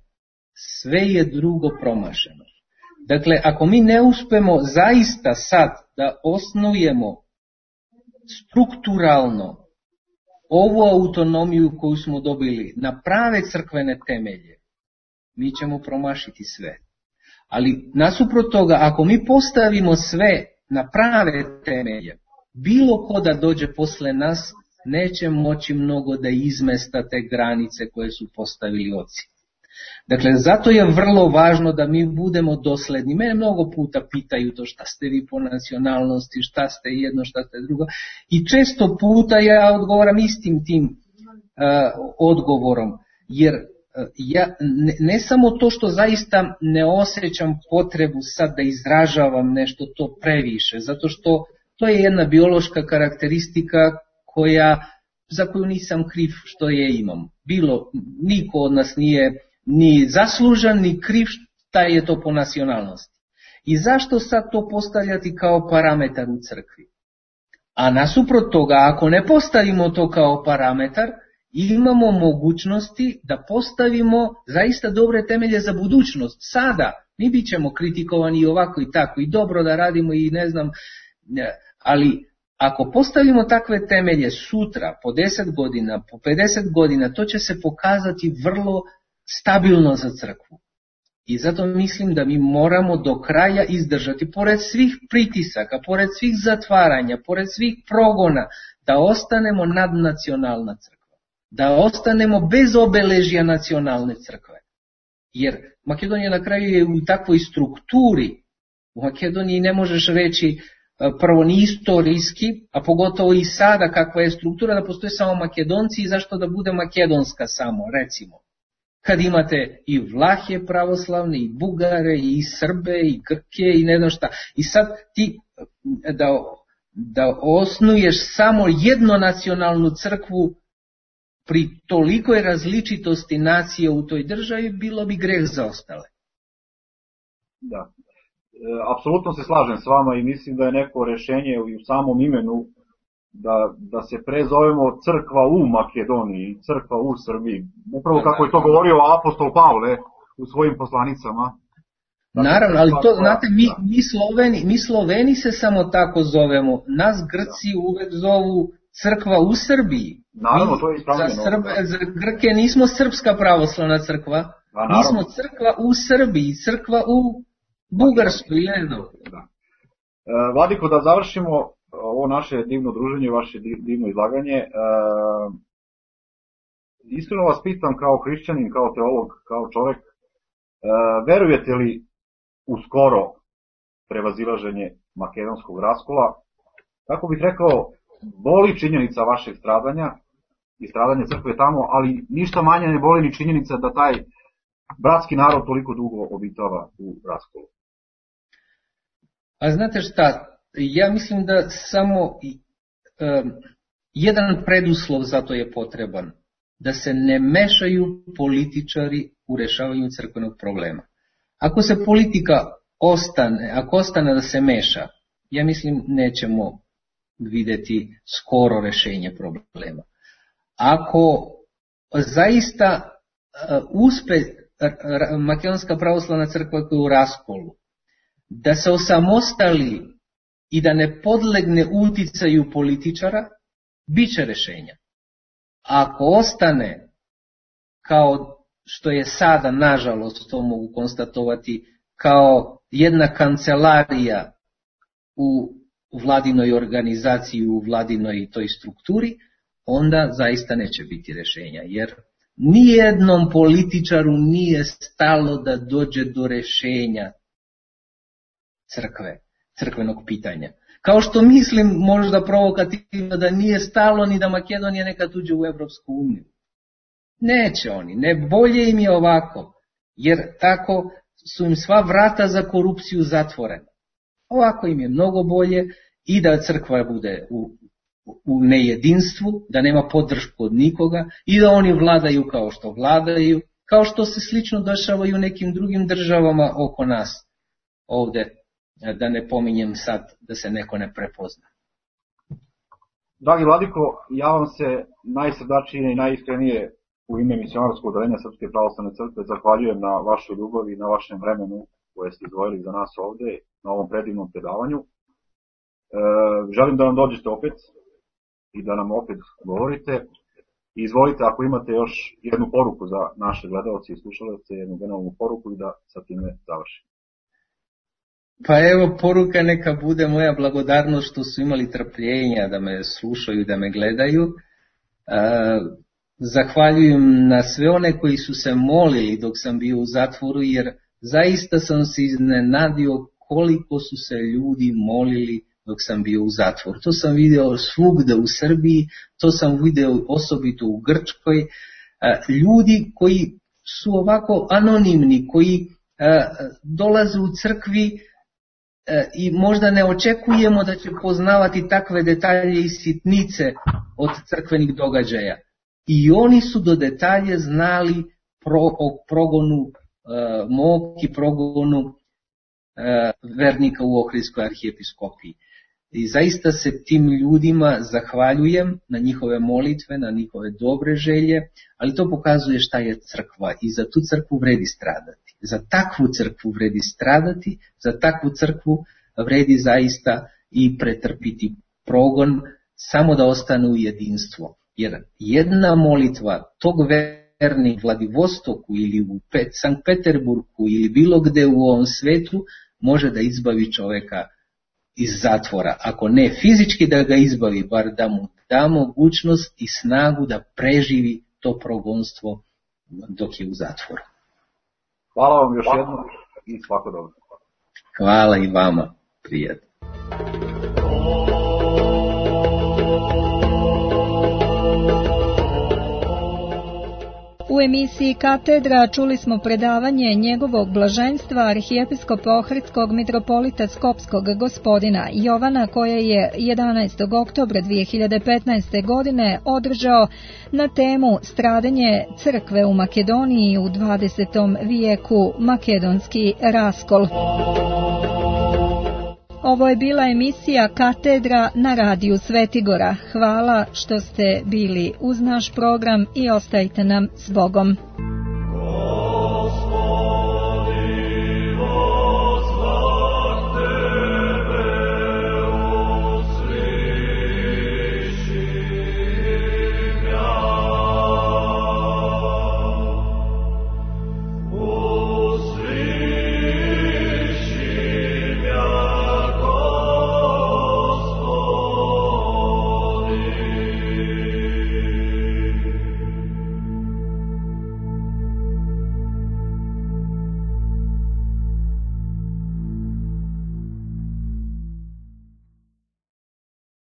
sve je drugo promašeno. Dakle, ako mi ne uspemo zaista sad da osnujemo strukturalno ovu autonomiju koju smo dobili na prave crkvene temelje, mi ćemo promašiti sve. Ali nasuprot toga, ako mi postavimo sve na prave temelje, bilo ko da dođe posle nas, neće moći mnogo da izmesta te granice koje su postavili oci. Dakle, zato je vrlo važno da mi budemo dosledni. Mene mnogo puta pitaju to šta ste vi po nacionalnosti, šta ste jedno, šta ste drugo. I često puta ja odgovaram istim tim uh, odgovorom. Jer uh, ja ne, ne samo to što zaista ne osjećam potrebu sad da izražavam nešto to previše, zato što to je jedna biološka karakteristika koja, za koju nisam kriv što je imam. Bilo, niko od nas nije ni zaslužan, ni kriv šta je to po nacionalnosti. I zašto sad to postavljati kao parametar u crkvi? A nasuprot toga, ako ne postavimo to kao parametar, imamo mogućnosti da postavimo zaista dobre temelje za budućnost. Sada mi bit ćemo kritikovani i ovako i tako, i dobro da radimo i ne znam, ali ako postavimo takve temelje sutra, po deset godina, po pedeset godina, to će se pokazati vrlo stabilno za crkvu. I zato mislim da mi moramo do kraja izdržati, pored svih pritisaka, pored svih zatvaranja, pored svih progona, da ostanemo nadnacionalna crkva. Da ostanemo bez obeležja nacionalne crkve. Jer Makedonija na kraju je u takvoj strukturi. U Makedoniji ne možeš reći prvo ni istorijski, a pogotovo i sada kakva je struktura, da postoje samo Makedonci i zašto da bude makedonska samo, recimo. kad imate i Vlahe pravoslavne, i Bugare, i Srbe, i Grke, i ne znam šta. I sad ti da, da osnuješ samo jednonacionalnu crkvu pri tolikoj različitosti nacije u toj državi, bilo bi greh za ostale. Da. E, apsolutno se slažem s vama i mislim da je neko rešenje u samom imenu da, da se prezovemo crkva u Makedoniji, crkva u Srbiji. Upravo kako je to govorio apostol Pavle u svojim poslanicama. Dakle, naravno, ali to, znate, mi, mi, Sloveni, mi Sloveni se samo tako zovemo. Nas Grci uvek zovu crkva u Srbiji. Naravno, to je ispravljeno. Za, Srb, za Grke nismo srpska pravoslavna crkva, mi smo crkva u Srbiji, crkva u Bugarskoj ili ne znam. Da. E, Vladiko, da završimo ovo naše divno druženje, vaše divno izlaganje. E, iskreno vas pitam kao hrišćanin, kao teolog, kao čovek, e, verujete li u skoro prevazilaženje makedonskog raskola? Kako bih rekao, boli činjenica vašeg stradanja i stradanje crkve tamo, ali ništa manje ne boli ni činjenica da taj bratski narod toliko dugo obitava u raskolu. A znate šta, ja mislim da samo um, jedan preduslov za to je potreban, da se ne mešaju političari u rešavanju crkvenog problema. Ako se politika ostane, ako ostane da se meša, ja mislim nećemo videti skoro rešenje problema. Ako zaista uh, uspe Makedonska pravoslavna crkva koja je u raskolu, da se osamostali i da ne podlegne uticaju političara, bit će rešenja. Ako ostane kao što je sada, nažalost, to mogu konstatovati, kao jedna kancelarija u vladinoj organizaciji, u vladinoj toj strukturi, onda zaista neće biti rešenja, jer nijednom političaru nije stalo da dođe do rešenja crkve, crkvenog pitanja. Kao što mislim možda provokativno da nije stalo ni da Makedonija nekad uđe u Evropsku uniju. Neće oni, ne, bolje im je ovako, jer tako su im sva vrata za korupciju zatvorena. Ovako im je mnogo bolje i da crkva bude u, u nejedinstvu, da nema podršku od nikoga i da oni vladaju kao što vladaju, kao što se slično dešava i u nekim drugim državama oko nas ovde, da ne pominjem sad da se neko ne prepozna. Dragi Vladiko, ja vam se najsrdačnije i najiskrenije u ime misionarskog odeljenja Srpske pravoslavne crkve zahvaljujem na vašoj ljubavi i na vašem vremenu koje ste izdvojili za nas ovde na ovom predivnom predavanju. E, želim da nam dođete opet i da nam opet govorite. I izvolite, ako imate još jednu poruku za naše gledalce i slušalce, jednu generalnu poruku i da sa time završimo. Pa evo, poruka neka bude moja blagodarnost što su imali trpljenja da me slušaju, da me gledaju. E, zahvaljujem na sve one koji su se molili dok sam bio u zatvoru, jer zaista sam se iznenadio koliko su se ljudi molili dok sam bio u zatvoru. To sam video svugde u Srbiji, to sam video osobito u Grčkoj. E, ljudi koji su ovako anonimni, koji e, dolaze u crkvi i možda ne očekujemo da će poznavati takve detalje i sitnice od crkvenih događaja. I oni su do detalje znali pro, o progonu e, mog i progonu e, vernika u Ohridskoj arhijepiskopiji. I zaista se tim ljudima zahvaljujem na njihove molitve, na njihove dobre želje, ali to pokazuje šta je crkva i za tu crkvu vredi stradati. Za takvu crkvu vredi stradati, za takvu crkvu vredi zaista i pretrpiti progon, samo da ostane u jedinstvo. Jer jedna molitva tog vernika u Vladivostoku ili u Sankt Peterburgu ili bilo gde u ovom svetu može da izbavi čoveka iz zatvora. Ako ne fizički da ga izbavi, bar da mu da mogućnost i snagu da preživi to progonstvo dok je u zatvoru. Hvala vam još jednom i svako dobro. Hvala i vama, prijatno. U emisiji Katedra čuli smo predavanje njegovog blaženstva arhijepiskopa Ohridskog mitropolita Skopskog gospodina Jovana, koje je jedanaestog oktobra dvije hiljade petnaeste. godine održao na temu Stradanje crkve u Makedoniji u dvadesetom vijeku, makedonski raskol. Ovo je bila emisija Katedra na radiju Svetigora. Hvala što ste bili uz naš program i ostajte nam s Bogom.